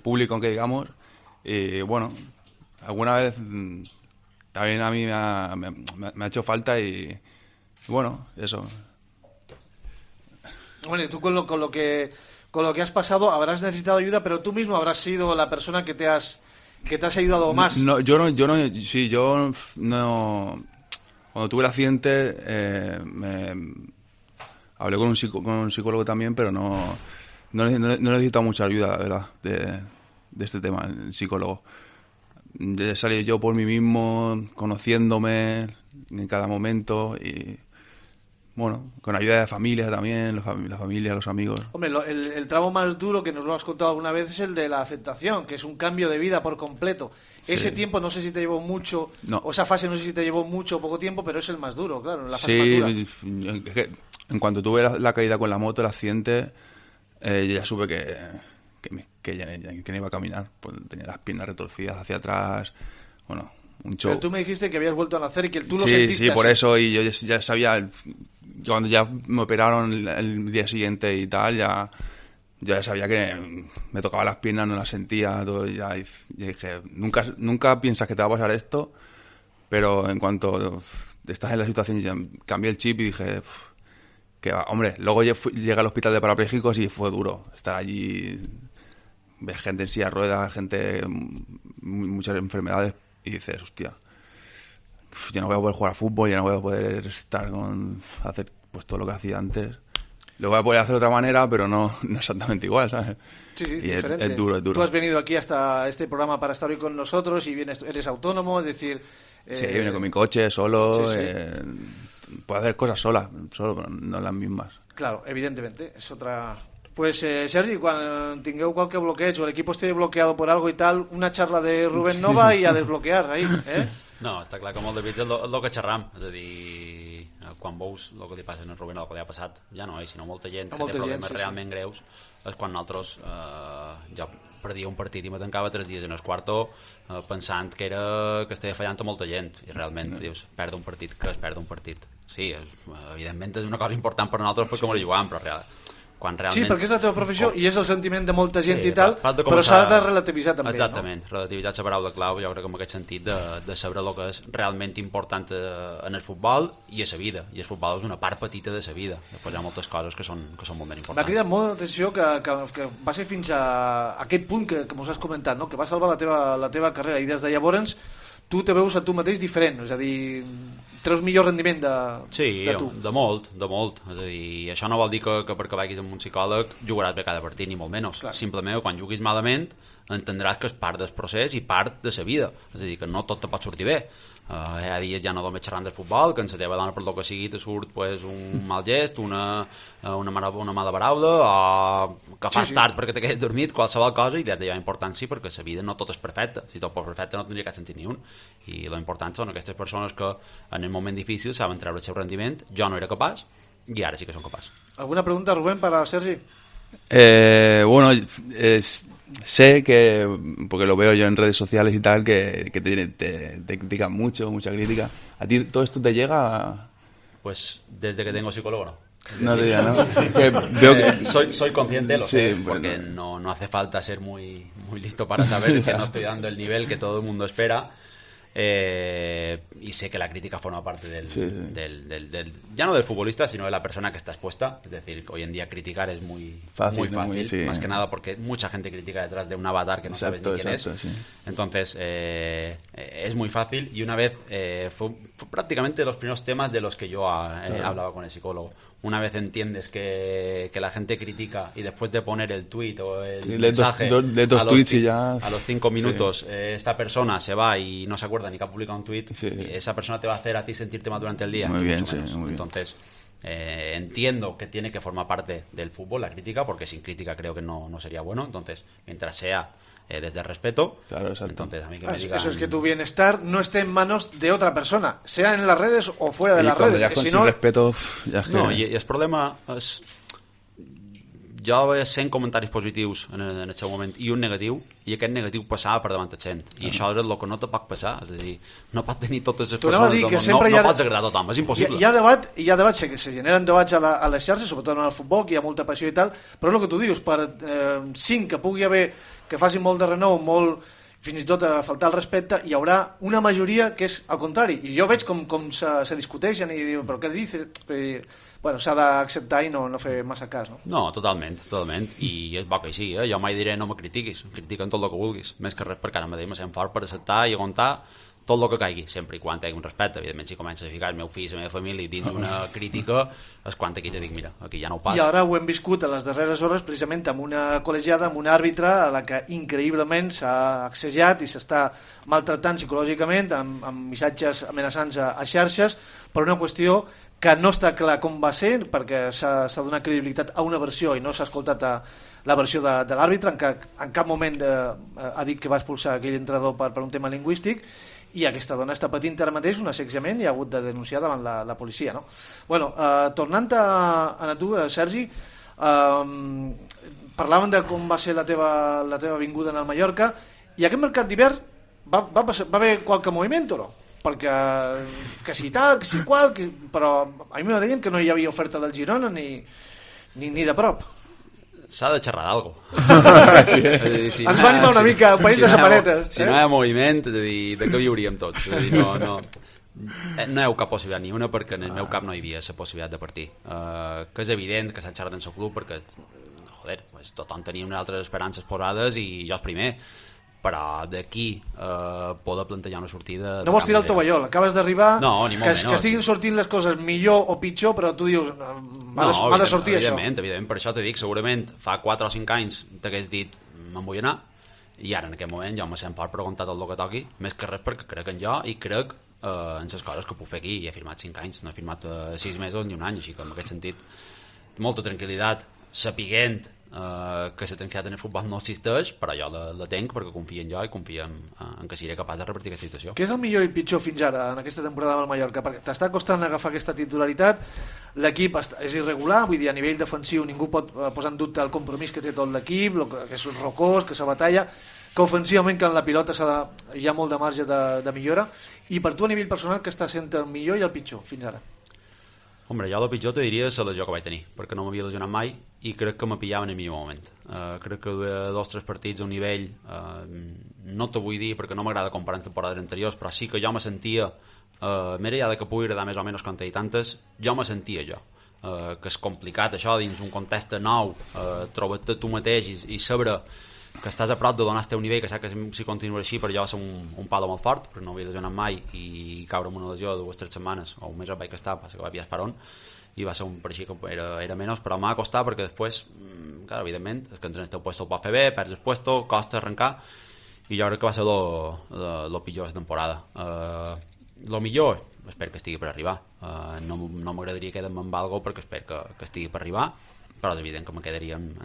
público, aunque digamos. Y bueno, alguna vez también a mí me ha hecho falta y bueno, eso. Bueno, y tú con lo que has pasado habrás necesitado ayuda, pero tú mismo habrás sido la persona que te has ayudado más. Yo no. Cuando tuve el accidente, hablé con un psicólogo también, pero no he necesitado mucha ayuda, la verdad, de este tema, el psicólogo. De salir yo por mí mismo, conociéndome en cada momento y, bueno, con ayuda de familia también, la familia, los amigos. Hombre, el tramo más duro, que nos lo has contado alguna vez, es el de la aceptación, que es un cambio de vida por completo. Sí. Ese tiempo no sé si te llevó mucho, o esa fase no sé si te llevó mucho o poco tiempo, pero es el más duro, claro, la fase más dura. En cuanto tuve la caída con la moto, el accidente, ya supe que ya no iba a caminar, pues tenía las piernas retorcidas hacia atrás, bueno, un show. Pero tú me dijiste que habías vuelto a nacer y que tú lo Sí, sentiste sí, por así. eso, y yo ya sabía, cuando ya me operaron el día siguiente y tal, ya sabía que me tocaba las piernas, no las sentía, todo, ya dije, nunca piensas que te va a pasar esto, pero en cuanto estás en la situación, ya cambié el chip y dije, que hombre, luego llegué al hospital de parapléjicos y fue duro estar allí, ves gente en silla de ruedas, gente, muchas enfermedades, y dices, hostia, ya no voy a poder jugar a fútbol, ya no voy a poder hacer pues todo lo que hacía antes. Lo voy a poder hacer de otra manera, pero no exactamente igual, ¿sabes? Sí, y diferente. es duro. Tú has venido aquí hasta este programa para estar hoy con nosotros y eres autónomo, es decir... Sí, vine con mi coche, solo, sí. Puedo hacer cosas solo, pero no las mismas. Claro, evidentemente, es otra... Pues, Sergi, quan tingueu qualque bloqueig o el equipo esté bloqueado por algo y tal, una charla de Rubén Nova i a desbloquear, ahí, eh? No, està clar que molt de bits és el que xerram, és a dir, quan veus el que li passa a Rubén o el que li ha passat, ja no, sinó molta gent que té problemes realment greus, és quan nosaltres ja perdia un partit i me tancava 3 dies en el quarto pensant que estava fallant a molta gent, i realment dius, perdre un partit, que es perd un partit. Sí, evidentment és una cosa important per nosaltres perquè m'ho jugàvem, però quan realment... Sí, perquè és la teva professió i és el sentiment de molta gent i tal, però s'ha de relativitzar també. Exactament, relativitzar és la paraula clau, jo crec que en aquest sentit de saber el que és realment important en el futbol i a la vida, i el futbol és una part petita de la vida, després hi ha moltes coses que són molt ben importants. M'ha cridat molt l'atenció que va ser fins a aquest punt que mos has comentat, no? Que va salvar la teva carrera, i des de llavors tu te veus a tu mateix diferent, és a dir, treus millor rendiment de tu. Sí, de molt. És a dir, això no vol dir que perquè vagis amb un psicòleg jugaràs bé cada partit, ni molt menys. Simplement, quan juguis malament, entendràs que és part del procés i part de la vida. És a dir, que no tot te pot sortir bé. Hi ha dies ja no només xerrant del futbol, que en la teva dona per lo que sigui te surt un mal gest, una mala paraula, o que fas tard perquè te quedes dormit, qualsevol cosa, i de la importància perquè la vida no tot és perfecta. Si tot fos perfecte no tindria cap sentit ni un. I lo important són aquestes persones que en el moment difícil saben treure el seu rendiment. Jo no era capaç i ara sí que som capaç. ¿Alguna pregunta, Rubén, para Sergi? Bueno, sé que, porque lo veo yo en redes sociales y tal, que te critican mucho, mucha crítica. ¿A ti todo esto te llega? Pues desde que tengo psicólogo no. No te diga, ¿no? Veo que... soy consciente, lo sé, bueno. Porque no hace falta ser muy listo para saber que no estoy dando el nivel que todo el mundo espera. Y sé que la crítica forma parte ya no del futbolista, sino de la persona que está expuesta. Es decir, hoy en día criticar es muy fácil, más que nada porque mucha gente critica detrás de un avatar que no sabes ni quién es. Sí. Entonces, es muy fácil, y una vez fue prácticamente los primeros temas de los que yo hablaba con el psicólogo. Una vez entiendes que la gente critica y después de poner el tuit o el mensaje a los 5 minutos esta persona se va y no se acuerda ni que ha publicado un tuit, esa persona te va a hacer a ti sentirte mal durante el día. Muy bien, muy bien. Entonces entiendo que tiene que formar parte del fútbol la crítica, porque sin crítica creo que no sería bueno. Entonces, mientras sea desde el respeto, entonces a mí que me digan... Eso es que tu bienestar no esté en manos de otra persona, sea en las redes o fuera de las redes. Ya con sin respeto, ya es que... No, i el problema és... Jo vaig sent comentaris positius en el seu moment i un negatiu, i aquest negatiu passava per davant de gent, i això és el que no te pot passar. És a dir, no pot tenir totes les persones del món, no pots agradar a tothom, és impossible. Hi ha debat, se generen debats a les xarxes, sobretot en el futbol, que hi ha molta passió i tal, però el que tu dius, per 5 que pugui haver, que facin molt de renou, fins i tot a faltar el respecte, hi haurà una majoria que és al contrari, i jo veig com se discuteixen i diu, però què dices? Bueno, s'ha d'acceptar i no fer massa cas, no? No, totalment, i és bo que així, jo mai diré no me critiquis, critiquen tot el que vulguis, més que res perquè ara mateix me sent fort per acceptar i aguantar tot el que caigui, sempre i quan tingui un respecte. Evidentment, si comences a ficar el meu fill, la meva família dins una crítica, és quan aquí te dic, mira, aquí ja no ho pas. I ara ho hem viscut a les darreres hores precisament amb una col·legiada, amb un àrbitre a la que increïblement s'ha accejat i s'està maltratant psicològicament amb missatges amenaçants a xarxes per una qüestió que no està clar com va ser, perquè s'ha donat credibilitat a una versió i no s'ha escoltat la versió de l'àrbitre, en cap moment ha dit que va expulsar aquell entrenador per un tema lingüístic, i aquesta dona està patint ara mateix un assetjament i ha hagut de denunciar davant la policia, no? Bueno, tornant a tu, Sergi, Parlàvem de com va ser la teva vinguda en el Mallorca, i aquest mercat d'hivern va haver qualque moviment o no? Perquè que si tal, que si qual, però a mi me deien que no hi havia oferta del Girona ni de prop. S'ha de xerrar d'algo. Si ens va animar una mica un parell de samarretes. Si no hi ha moviment, és a dir, de què viuríem tots? És a dir, no hi ha cap possibilitat ni una, perquè en el meu cap no hi havia la possibilitat de partir. Que és evident que s'han xerrat en el club perquè, joder, pues, tothom tenia unes altres esperances posades i jo el primer, però d'aquí poder plantejar una sortida... No vols tirar el tovallol, acabes d'arribar, que estiguin sortint les coses millor o pitjor, però tu dius, m'ha de sortir això. Evidentment, per això t'he dit, segurament fa 4 o 5 anys t'hagués dit, me'n vull anar, i ara en aquest moment jo me sent fort preguntar tot el que toqui, més que res perquè crec en jo i crec en les coses que puc fer aquí. I he firmat 5 anys, no he firmat 6 mesos ni un any, així que en aquest sentit molta tranquil·litat, sapiguent que la tranquil·litat en el futbol no existeix, però jo la tenc perquè confio en jo i confio en que seré capaç de revertir aquesta situació. Què és el millor i pitjor fins ara en aquesta temporada amb el Mallorca? Perquè t'està costant agafar aquesta titularitat, l'equip és irregular, vull dir, a nivell defensiu ningú pot posar en dubte el compromís que té tot l'equip, que és rocós, que se batalla, que ofensivament que en la pilota hi ha molt de marge de millora, i per tu a nivell personal què està sent el millor i el pitjor fins ara? Hombre, jo el pitjor te diria la lesió que vaig tenir, perquè no m'havia lesionat mai i crec que me pillava en el millor moment. Crec que duia 2 o 3 partits a un nivell, no te vull dir perquè no m'agrada comparar amb temporades anteriors, però sí que jo me sentia, més enllà que pugui agradar més o menys com i tantes, jo me sentia jo. Que és complicat això dins un context nou, trobar-te tu mateix i saber que estàs a prop de donar el teu nivell, que saps que si continua així per jo va ser un palo molt fort, perquè no havia lesionat mai, i caure amb una lesió de 2 o 3 setmanes o un mes vaig estar, que vaig pillar esperon, i va ser per així que era menys, però m'ha costat perquè després, clar, evidentment, és que entrenes el puesto el pot fer bé, perds el puesto, costa arrencar, i jo crec que va ser lo pitjor de la temporada. Lo millor, espero que estigui per arribar. No m'agradaria quedar-me amb algo perquè espero que estigui per arribar, però és evident que me quedaria en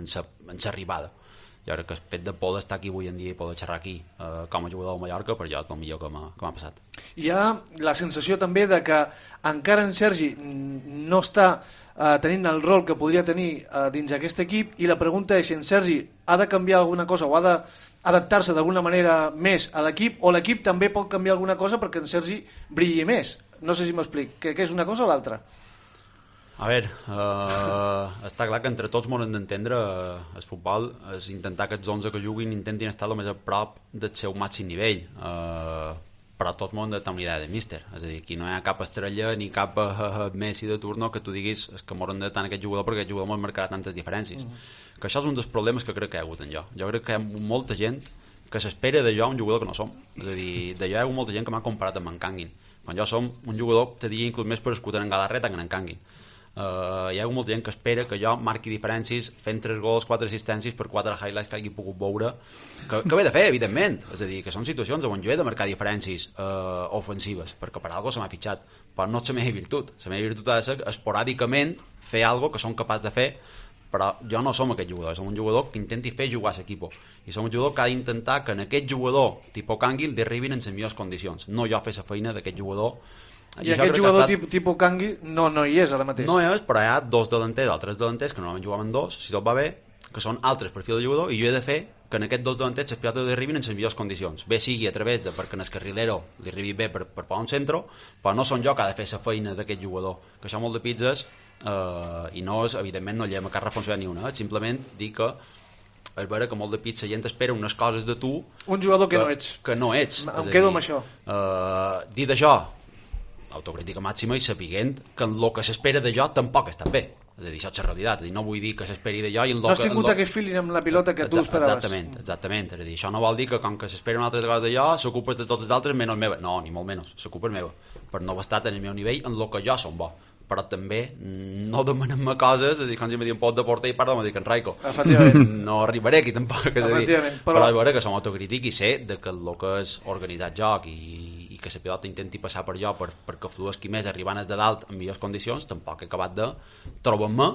l'arribada. Jo crec que el fet de poder estar aquí avui en dia i poder xerrar aquí com a jugador del Mallorca, per jo és el millor que m'ha passat. Hi ha la sensació també de que encara en Sergi no està tenint el rol que podria tenir dins aquest equip, i la pregunta és si en Sergi ha de canviar alguna cosa o ha d'adaptar-se d'alguna manera més a l'equip, o l'equip també pot canviar alguna cosa perquè en Sergi brilli més. No sé si m'explic, que és una cosa o l'altra? A veure, està clar que entre tots m'han d'entendre el futbol és intentar que els 11 que juguin intentin estar el més a prop del seu màxim nivell, però tots m'han de tenir una idea de míster, és a dir, aquí no hi ha cap estrella ni cap Messi de turno que tu diguis que m'hauran de tant aquest jugador perquè aquest jugador m'ha marcat tantes diferències, que això és un dels problemes que crec que hi ha hagut en jo. Jo crec que hi ha molta gent que s'espera de jo un jugador que no som, és a dir, de jo hi ha hagut molta gent que m'ha comparat amb en Canguin, quan jo som un jugador, te diria inclús més per escutar en Galarreta que en Canguin. Hi ha molta gent que espera que jo marqui diferències fent 3 gols, 4 assistències per 4 highlights que hagi pogut veure, que ho he de fer, evidentment, és a dir, que són situacions on jo he de marcar diferències ofensives, perquè per alguna cosa se m'ha fitxat, però no és la meva virtut. La meva virtut ha de ser esporàdicament fer alguna que som capaç de fer, però jo no som aquest jugador, som un jugador que intenti fer jugar a l'equip, i som un jugador que ha d'intentar que en aquest jugador tipus Canguil arribin en les millors condicions, no jo fer la feina d'aquest jugador. I aquest jugador tipus Cangui no hi és ara mateix. No hi és, però hi ha 2 delanters o 3 delanters que normalment jugaven 2, si tot va bé, que són altres perfils de jugador, i jo he de fer que en aquests 2 delanters les pilotes arribin en les millors condicions, bé sigui a través de perquè en el carrilero li arribi bé per posar un centre, però no són jo que ha de fer la feina d'aquest jugador, que això molt de pizzas, i no és, evidentment no lleva cap responsabilitat ni una, simplement dir que és vera que molt de pizza gent espera unes coses de tu, un jugador que no ets. Em quedo amb això. Dit això, autocrítica màxima i sapiguent que el que s'espera de jo tampoc està bé, és a dir, això és la realitat, no vull dir que s'esperi de jo i no has tingut aquest feeling amb la pilota que tu esperaves. Exactament, és a dir, això no vol dir que com que s'espera una altra cosa de jo s'ocupa de tots els altres menys meva, no, ni molt menys, s'ocupa meva, per no haver estat en el meu nivell en el que jo som bo, però també no demanem-me coses, és a dir, quan jo me diu un pot de porter i parla me dic en Raico, no arribaré aquí tampoc, però és vera que som autocrític i sé que el que és organitzat joc i que la pilota intenti passar per jo perquè fluesqui més arribant des de dalt en millors condicions, tampoc he acabat de trobar-me,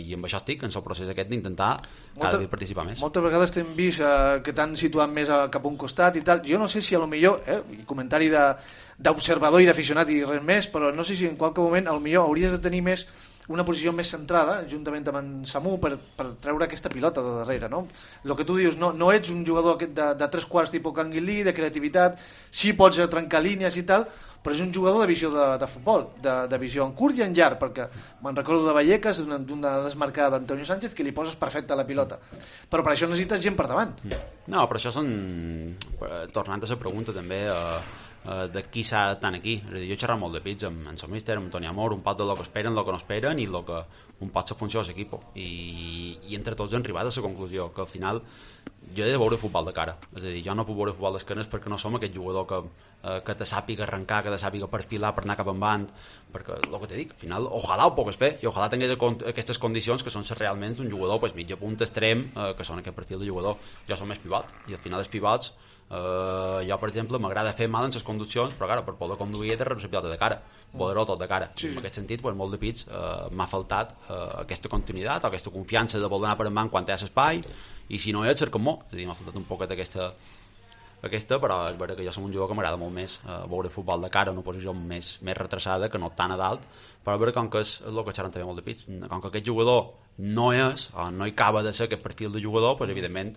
i amb això estic en el procés aquest d'intentar cada dia participar més. Moltes vegades t'hem vist que t'han situat més cap a un costat i tal, jo no sé si a lo millor, comentari d'observador i d'aficionat i res més, però no sé si en qualque moment a lo millor hauries de tenir més una posició més centrada, juntament amb en Samu, per treure aquesta pilota de darrere, no? El que tu dius, no ets un jugador de 3/4 tipus Canguilí, de creativitat, sí pots trencar línies i tal, però és un jugador de visió de futbol, de visió en curt i en llarg, perquè me'n recordo de Vallecas, d'una desmarcada d'Antonio Sánchez, que li poses perfecte a la pilota. Però per això necessites gent per davant. No, però això són... Tornant a la pregunta també... de qui s'ha tant aquí. Jo he xerrat molt de pits amb el míster, amb Toni Amor, un pot de lo que esperen, lo que no esperen i lo que un pot la funció de l'equip. I entre tots hem arribat a la conclusió que al final jo he de veure futbol de cara. És a dir, jo no puc veure futbol d'esquenes perquè no som aquest jugador que te sàpiga arrencar, que te sàpiga perfilar per anar cap endavant, perquè el que t'he dit, al final, ojalà ho pogués fer i ojalà tingués aquestes condicions que són realment un jugador mitja punta extrem, que són aquest perfil de jugador. Jo som més pivot i al final els pivots jo per exemple m'agrada fer mal en les conduccions, però clar, per poder conduir he de rebre la pilota de cara, poder-ho tot de cara. En aquest sentit, molt de pits m'ha faltat aquesta continuïtat o aquesta confiança de voler anar per endavant quan té l'espai, i si no hi ha, cerca'm-ho. És a dir, m'ha faltat un poquet aquesta, però és veritat que jo som un jugador que m'agrada molt més veure futbol de cara en una posició més retrasada que no tan a dalt, però és veritat com que és el que xerran també molt de pits, com que aquest jugador no és, o no hi acaba de ser aquest perfil de jugador, doncs evidentment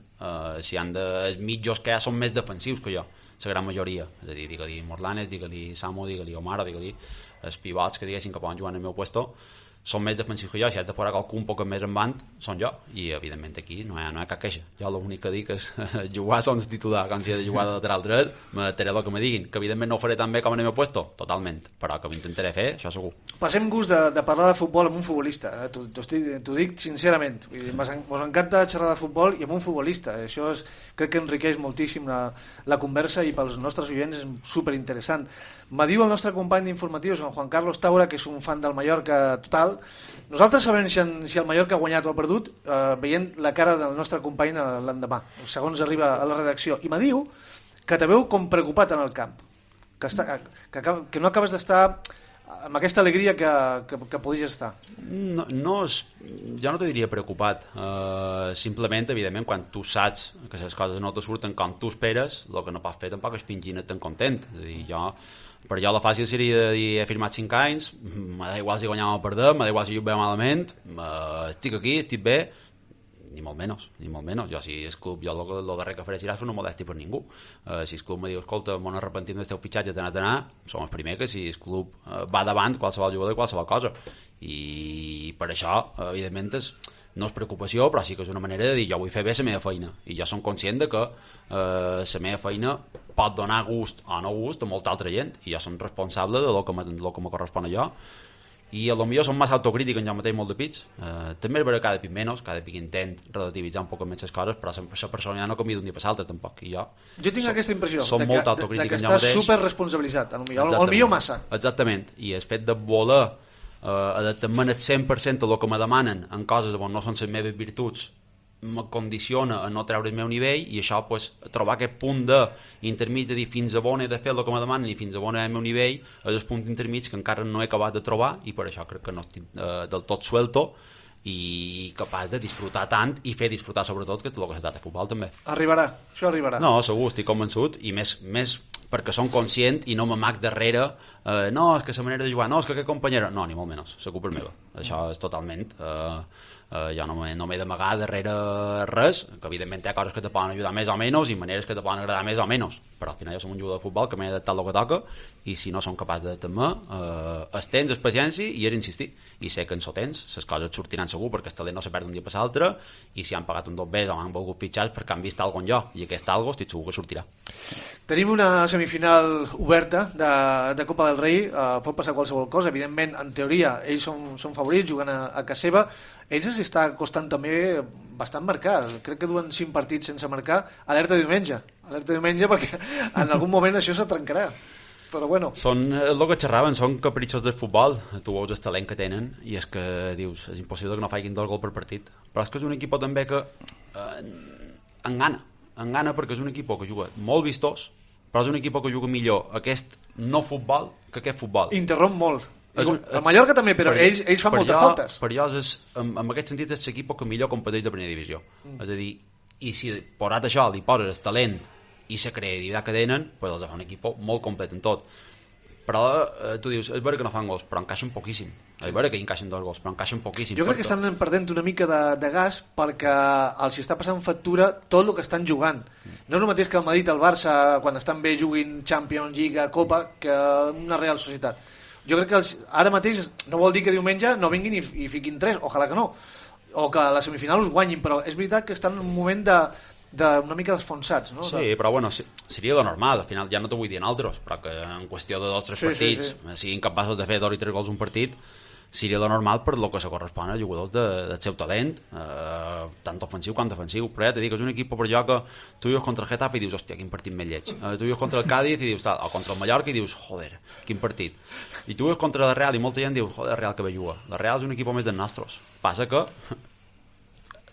si han els mitjos que hi ha són més defensius que jo, la gran majoria, és a dir, digue-li Morlanes, digue-li Samu, digue-li Omar, digue-li els pivots que diguessin que poden jugar en el meu puesto, són més defensius que jo. Si has de posar qualcú un poc més en band, són jo, i evidentment aquí no hi ha cap queixa. Jo l'únic que dic és jugar sense titular, com si he de jugar de lateral dret, m'adaptaré el que me diguin, que evidentment no ho faré tan bé com en el meu puesto, totalment, però que ho intentaré fer, això segur. Passem gust de parlar de futbol amb un futbolista, t'ho dic sincerament, mos encanta xerrar de futbol i amb un futbolista, això crec que enriqueix moltíssim la conversa i pels nostres oients és superinteressant. Me diu el nostre company d'informatius, en Juan Carlos Taura, que és un fan del Mallorca total. Nosaltres sabem si el Mallorca ha guanyat o ha perdut veient la cara del nostre company l'endemà, segons arriba a la redacció, i me diu que te veu com preocupat en el camp, que no acabes d'estar amb aquesta alegria que podies estar. Jo no te diria preocupat, simplement, evidentment, quan tu saps que les coses no te surten com tu esperes, el que no pots fer tampoc és fingir-ne tan content. És a dir, per jo la fàcil seria de dir he firmat 5 anys, m'ha igual si guanyam o perdem, m'ha igual si juguem malament, estic aquí, estic bé, ni molt menys. Jo, si el club, jo el darrer que faré serà fer una modèstia per ningú. Si el club me diu, escolta, m'ho arrepentim del teu fitxatge, d'anar, som els primers que si el club va davant qualsevol jugador i qualsevol cosa. I per això, evidentment, no és preocupació, però sí que és una manera de dir jo vull fer bé la meva feina, i jo som conscient de que la meva feina pot donar gust o no gust a molta altra gent, i jo som responsable de lo que me correspon a jo, i a lo millor som massa autocrític en jo mateix molt de pits, també és vera cada pic menys, cada pic intent relativitzar un poc més les coses, però la persona ja no canvia d'un dia per l'altre tampoc, i jo tinc aquesta impressió som molt autocrític que en jo mateix, estàs superresponsabilitzat, potser massa. Exactament, i el fet de voler adaptar-me el 100% a el que me demanen en coses on no són les meves virtuts me condiciona a no treure el meu nivell, i això, pues, trobar aquest punt d'intermig de dir fins a on he de fer el que me demanen i fins a on és el meu nivell, és el punt intermig que encara no he acabat de trobar, i per això crec que no estic del tot suelto i capaç de disfrutar tant i fer disfrutar sobretot, que és el que s'ha de futbol també. Això arribarà. No, segur, estic convençut, i més perquè som conscient i no m'amac darrere no, és que la manera de jugar, no, és que aquest companyero, no, ni molt menys, la culpa és meva, això és totalment jo no m'he d'amagar darrere res, que evidentment hi ha coses que te poden ajudar més o menys i maneres que te poden agradar més o menys, però al final jo som un jugador de futbol que m'he adaptat el que toca, i si no som capaç d'adaptar-me, es tens paciència i és insistir, i sé que en so tens les coses et sortiran segur, perquè el talent no se perd un dia per l'altre, i si han pagat un 2B o han volgut fitxar perquè han vist alguna jo, i aquest algo estic segur que sortirà. Tenim una semifinal oberta de Copa del Rei, pot passar qualsevol cosa, evidentment, en teoria ells són favorits, juguen a casa seva, ells els està costant també bastant marcar, crec que duen 5 partits sense marcar, alerta diumenge perquè en algun moment això se trencarà, però bueno. Són el que xerraven, són capritxos del futbol, tu veus el talent que tenen i és que dius, és impossible que no facin 2 gols per partit, però és que és un equip també que engana perquè és un equip que juga molt vistós, però és un equip que juga millor aquest no futbol que aquest futbol. Interromp molt. El Mallorca també, però ells fan moltes faltes. Per jo, en aquest sentit, és l'equip que millor competeix de primera divisió. És a dir, i si posat això li poses el talent i la creativitat que tenen, doncs els fa un equip molt complet en tot. però tu dius, és vera que no fan gols, però encaixen poquíssim. És vera que encaixen 2 gols, però encaixen poquíssim. Jo crec que estan perdent una mica de gas perquè els està passant factura tot el que estan jugant. No és el mateix que el Madrid, el Barça, quan estan bé juguin Champions, Lliga, Copa, que una Real Societat. Jo crec que ara mateix no vol dir que diumenge no vinguin i fiquin 3, ojalà que no, o que a la semifinal us guanyin, però és veritat que estan en un moment una mica desfonsats, no? Sí, però bueno, seria lo normal, al final ja no t'ho vull dir en altres, però que en qüestió de 2 o 3 partits siguin capaços de fer 2 i 3 gols un partit, seria lo normal per lo que se correspon a jugadors del seu talent, tant ofensiu com defensiu, però ja t'he dit que és un equip per jo que tu vius contra el Getafe i dius, hòstia, quin partit més lleig, tu vius contra el Cádiz i dius, o contra el Mallorca i dius, joder, quin partit, i tu vius contra la Real i molta gent diu, joder, Real que bé juga, la Real és un equip més dels nostres, passa que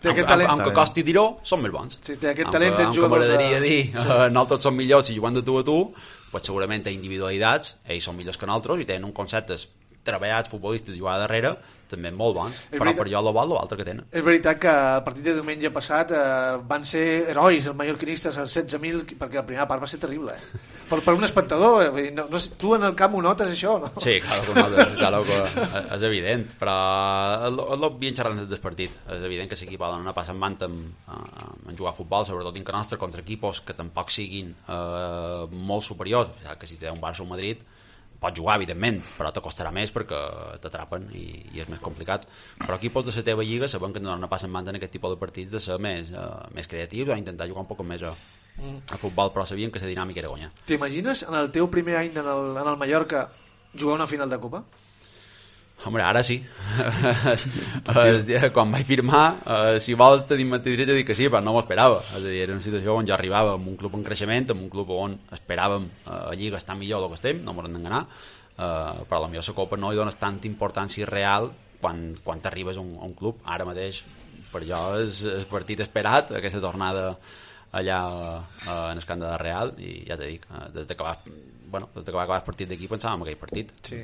aunque costi dir-ho, són més bons. Sí, té aquest talent dels jugadors. M'agradaria dir, nosaltres som millors si juguen de tu a tu, pues segurament té individualitats, ells són millors que nosaltres i tenen un conceptes treballats futbolistes i jugar darrere també molt bons, però per jo l'altre que tenen. És veritat que el partit de diumenge passat van ser herois els mallorquinistes, els 16.000, perquè la primera part va ser terrible, per un espectador, tu en el camp ho notes això, no? Sí, claro que és evident, però el bien xerrant des del partit, és evident que l'equip ha d'anar passant mant en jugar a futbol, sobretot dintre nostre, contra equipos que tampoc siguin molt superiors, que si té un Barça o un Madrid pots jugar, evidentment, però t'acostarà més perquè t'atrapen i és més complicat. Però equipos de la teva lliga saben que no passen mans en aquest tipus de partits de ser més creatius o intentar jugar un poc més a futbol, però sabien que la dinàmica era guanyar. T'imagines en el teu primer any en el Mallorca jugar una final de Copa? Home, ara sí. Quan vaig firmar, si vols te diré de dir que sí, però no m'ho esperava. És a dir, era una situació on jo arribava amb un club en creixement, amb un club on esperàvem a Lliga estar millor del que estem, no m'ho hem d'enganar, però potser la Copa no hi dones tanta importància real quan t'arribes a un club. Ara mateix, per jo, és el partit esperat, aquesta tornada allà en el camp de la Real, i ja t'he dit, des de que va acabar el partit d'aquí pensàvem en aquell partit. Sí.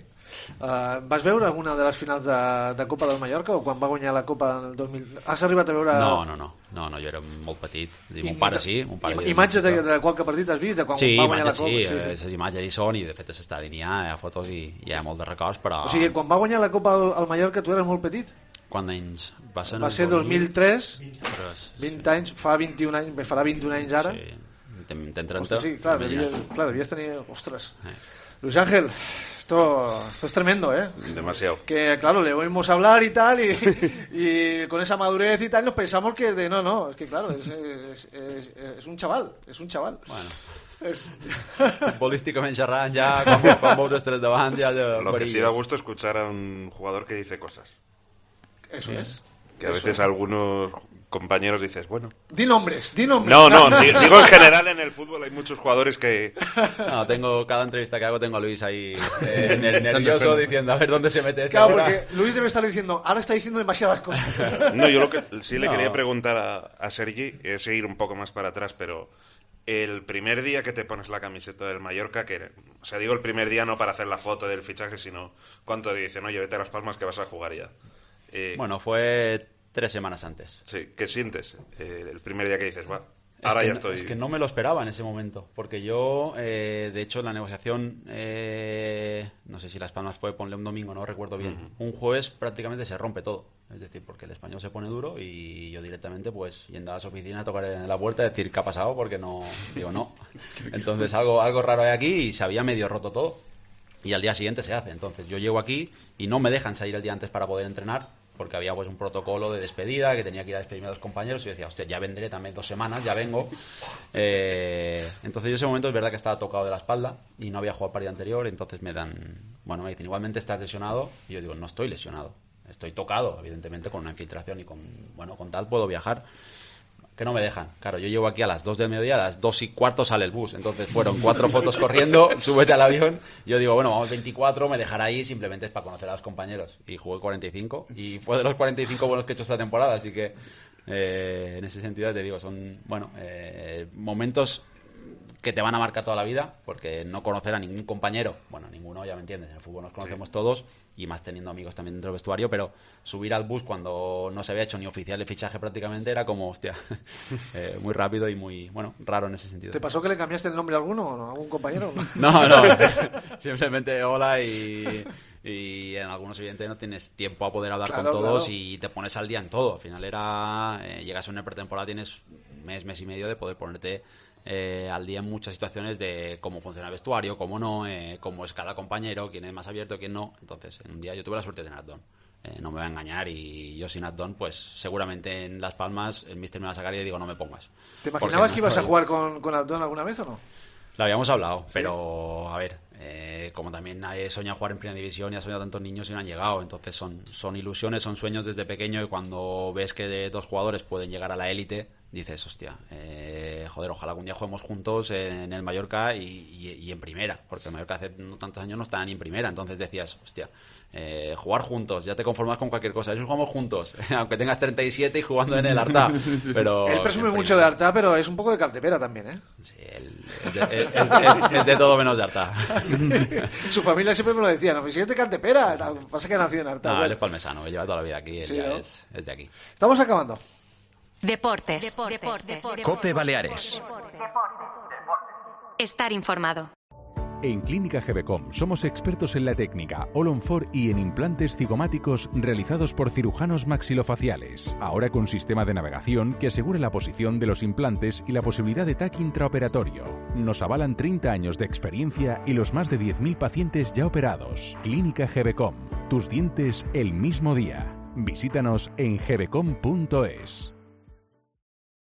Vas veure alguna de les finals de Copa del Mallorca o quan va guanyar la Copa del 2000? Has arribat a veure... No, jo era molt petit. Mon pare sí. Imatges de qualque partit has vist? De quan va guanyar la Copa? Sí, les imatges hi són i de fet a l'estadi n'hi ha fotos i hi ha molt de records, però... O sigui, quan va guanyar la Copa al Mallorca tu eres molt petit? Quants anys? Va ser 2003, 20 anys, farà 21 anys ara. Sí, ten 30. Hostia, sí, claro, debías tener... Ostras. Luis Ángel, esto es tremendo, ¿eh? Demasiado. Que, claro, le oímos hablar y tal, y con esa madurez y tal, nos pensamos que no, es que, claro, es un chaval, Bueno. Futbolísticamente xerrant ya, quan veus els tres davant ja Lo que sí da gusto escuchar a un jugador que dice cosas. Eso es. Que a veces algunos compañeros dices, bueno... Di nombres. No, digo en general en el fútbol hay muchos jugadores que... No, cada entrevista que hago tengo a Luis ahí nervioso diciendo a ver dónde se mete. Claro, porque Luis debe estar diciendo, ahora está diciendo demasiadas cosas. No, yo lo que sí le quería preguntar a Sergi es ir un poco más para atrás, pero el primer día que te pones la camiseta del Mallorca, o sea, digo el primer día no para hacer la foto del fichaje, sino cuánto te dicen, oye, vete a Las Palmas que vas a jugar ya. Bueno, fue 3 semanas antes. Sí, ¿qué sientes el primer día que dices, va, ahora ya estoy? Es que no me lo esperaba en ese momento, porque yo, de hecho, la negociación, no sé si Las Palmas fue, ponle un domingo, no recuerdo bien, un jueves prácticamente se rompe todo, es decir, porque el español se pone duro y yo directamente, pues, yendo a las oficinas a tocar en la puerta y decir, ¿qué ha pasado? Porque no, digo, no. Entonces algo raro hay aquí y se había medio roto todo. Y al día siguiente se hace. Entonces yo llego aquí y no me dejan salir el día antes para poder entrenar porque había pues un protocolo de despedida que tenía que ir a despedirme a los compañeros y yo decía, hostia, ya vendré también 2 semanas, ya vengo. Entonces yo en ese momento es verdad que estaba tocado de la espalda y no había jugado el partido anterior, entonces me dicen, igualmente estás lesionado, y yo digo, no estoy lesionado, estoy tocado, evidentemente con una infiltración y con tal puedo viajar. Que no me dejan. Claro, yo llego aquí a las 2 del mediodía, a las 2:15 sale el bus. Entonces fueron 4 fotos corriendo, súbete al avión. Yo digo, bueno, vamos 24, me dejará ahí, simplemente es para conocer a los compañeros. Y jugué 45 y fue de los 45 buenos que he hecho esta temporada. Así que en ese sentido te digo, son momentos que te van a marcar toda la vida, porque no conocer a ningún compañero, bueno, ninguno, ya me entiendes, en el fútbol nos conocemos todos, y más teniendo amigos también dentro del vestuario, pero subir al bus cuando no se había hecho ni oficial de fichaje prácticamente era como, hostia, muy rápido y muy, bueno, raro en ese sentido. ¿Te pasó que le cambiaste el nombre a alguno o a algún compañero? No, simplemente hola y en algunos evidentemente no tienes tiempo a poder hablar con todos y te pones al día en todo. Al final llegas a una pretemporada, tienes mes y medio de poder ponerte al día en muchas situaciones de cómo funciona el vestuario, cómo no, cómo es cada compañero, quién es más abierto, quién no. Entonces, en un día yo tuve la suerte de tener a Don. No me voy a engañar, y yo sin Addon, pues seguramente en Las Palmas el míster me va a sacar y digo, no me pongas. ¿Te imaginabas que ibas a jugar con Addon alguna vez o no? Lo habíamos hablado, ¿sí? Pero a ver, como también he soñado jugar en primera división y ha soñado tantos niños y no han llegado, entonces son ilusiones, son sueños desde pequeño, y cuando ves que dos jugadores pueden llegar a la élite, dices, hostia, joder, ojalá algún día juguemos juntos en el Mallorca y en primera, porque el Mallorca hace no tantos años no estaba ni en primera, entonces decías, hostia, jugar juntos, ya te conformas con cualquier cosa, jugamos juntos, aunque tengas 37 y jugando en el Artà, pero... Él presume mucho de Artà, pero es un poco de Capdepera también, ¿eh? Sí, es de todo menos de Artà. Sí. Su familia siempre me lo decía, no, si es de Capdepera, pasa que nació en Artà. No, él es palmesano, que lleva toda la vida aquí, él ya es de aquí. Estamos acabando. Deportes. COPE Baleares. Estar informado. En Clínica Gebecom somos expertos en la técnica All-on-4 y en implantes cigomáticos realizados por cirujanos maxilofaciales. Ahora con sistema de navegación que asegure la posición de los implantes y la posibilidad de TAC intraoperatorio. Nos avalan 30 años de experiencia y los más de 10.000 pacientes ya operados. Clínica Gebecom. Tus dientes el mismo día. Visítanos en gebecom.es.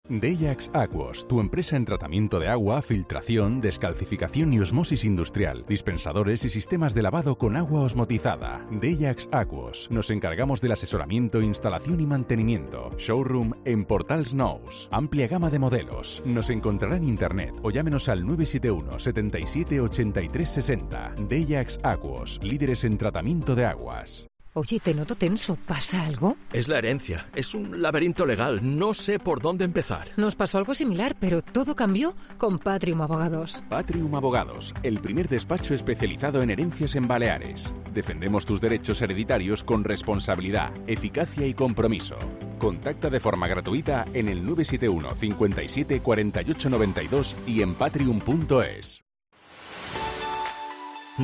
Deyax Aquos, tu empresa en tratamiento de agua, filtración, descalcificación y osmosis industrial, dispensadores y sistemas de lavado con agua osmotizada. Deyax Aquos. Nos encargamos del asesoramiento, instalación y mantenimiento. Showroom en Portals Nous. Amplia gama de modelos. Nos encontrará en internet o llámenos al 971 77 83 60. Deyax Aquos, líderes en tratamiento de aguas. Oye, te noto tenso. ¿Pasa algo? Es la herencia. Es un laberinto legal. No sé por dónde empezar. Nos pasó algo similar, pero todo cambió con Patrium Abogados. Patrium Abogados, el primer despacho especializado en herencias en Baleares. Defendemos tus derechos hereditarios con responsabilidad, eficacia y compromiso. Contacta de forma gratuita en el 971 57 48 92 y en patrium.es.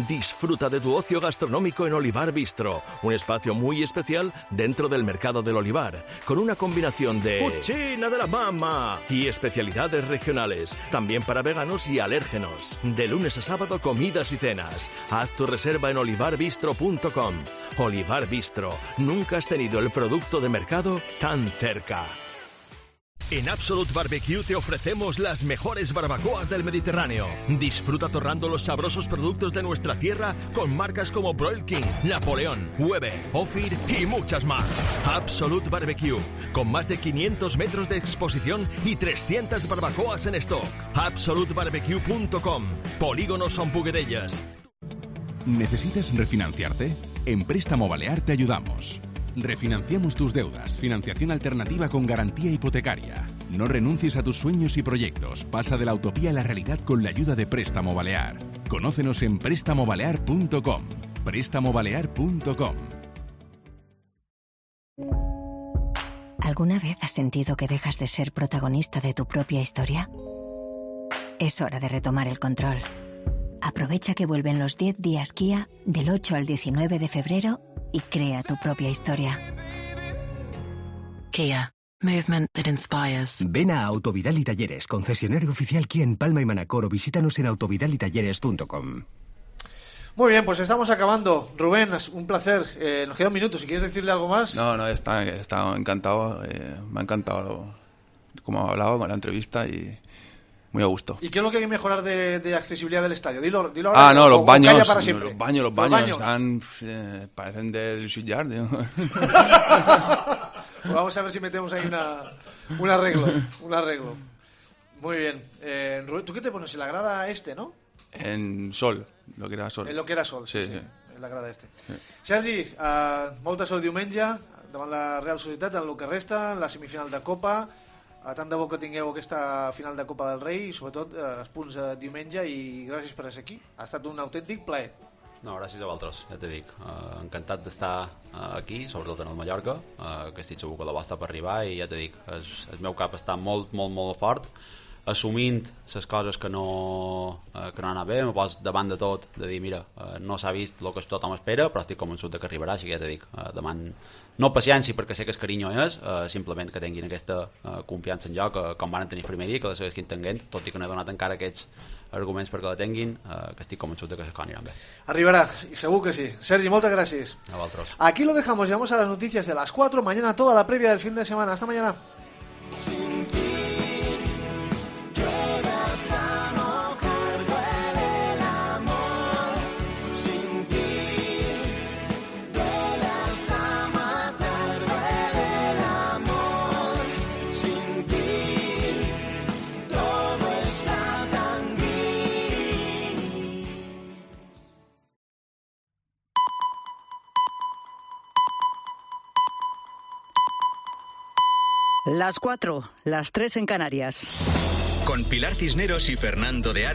Disfruta de tu ocio gastronómico en Olivar Bistro, un espacio muy especial dentro del mercado del olivar, con una combinación de cucina de la mama y especialidades regionales, también para veganos y alérgenos. De lunes a sábado, comidas y cenas. Haz tu reserva en olivarbistro.com. Olivar Bistro, nunca has tenido el producto de mercado tan cerca. En Absolute Barbecue te ofrecemos las mejores barbacoas del Mediterráneo. Disfruta torrando los sabrosos productos de nuestra tierra con marcas como Broil King, Napoleón, Weber, Ophir y muchas más. Absolute Barbecue, con más de 500 metros de exposición y 300 barbacoas en stock. AbsoluteBarbecue.com. Polígono Son Puguedellas. ¿Necesitas refinanciarte? En Préstamo Balear te ayudamos. Refinanciamos tus deudas, financiación alternativa con garantía hipotecaria. No renuncies a tus sueños y proyectos. Pasa de la utopía a la realidad con la ayuda de Préstamo Balear. Conócenos en prestamobalear.com. prestamobalear.com. ¿Alguna vez has sentido que dejas de ser protagonista de tu propia historia? Es hora de retomar el control. Aprovecha que vuelven los 10 días Kia del 8 al 19 de febrero y crea tu propia historia. Kia. Movement that inspires. Ven a Autovidal y Talleres, concesionario oficial Kia en Palma y Manacor, o visítanos en autovidalitalleres.com. Muy bien, pues estamos acabando. Rubén, un placer. Nos queda un minuto. Si quieres decirle algo más. No, está encantado. Me ha encantado cómo ha hablado con la entrevista y muy a gusto. ¿Y qué es lo que hay que mejorar de accesibilidad del estadio? Dilo ahora. No, los baños. Para siempre. Los baños están, parecen del Suyard. Pues vamos a ver si metemos ahí un arreglo. Muy bien. Rubén, ¿tú qué te pones en la grada no? En Sol, lo que era Sol. En lo que era Sol, sí. En la grada Sí. Sergi, molta sort diumenge davant la Real Societat en el que resta, en la semifinal de Copa. tant de bo que tingueu aquesta final de Copa del Rei i sobretot els punts diumenge, i gràcies per ser aquí. Ha estat un autèntic plaer. No, gràcies a vosaltres, ja t'he dit. Encantat d'estar aquí, sobretot en el Mallorca, que estic segur que la vostra per arribar, i ja t'he dit, el meu cap està molt, molt, molt fort, assumint les coses que no han anat bé. M'ho pos davant de tot, de dir, mira, no s'ha vist el que tothom espera, però estic convençut que arribarà, així que ja t'he dit, deman no paciència perquè sé que el carinyo és, simplement que tinguin aquesta confiança en jo, que com van tenir el primer dia, que la segueixin tenint, tot i que no he donat encara aquests arguments perquè la tinguin, que estic convençut que les coses aniran bé. Arribará, y seguro que sí. Sergi, muchas gracias. A vosotros. Aquí lo dejamos, llegamos a las noticias de las 4, mañana toda la previa del fin de semana. Hasta mañana. Sin ti, llueve hasta mojar, duele el amor. Sin ti, duele hasta matar, duele el amor. Sin ti, todo está tan gris. Las 4, las 3 en Canarias. Con Pilar Cisneros y Fernando de Aro.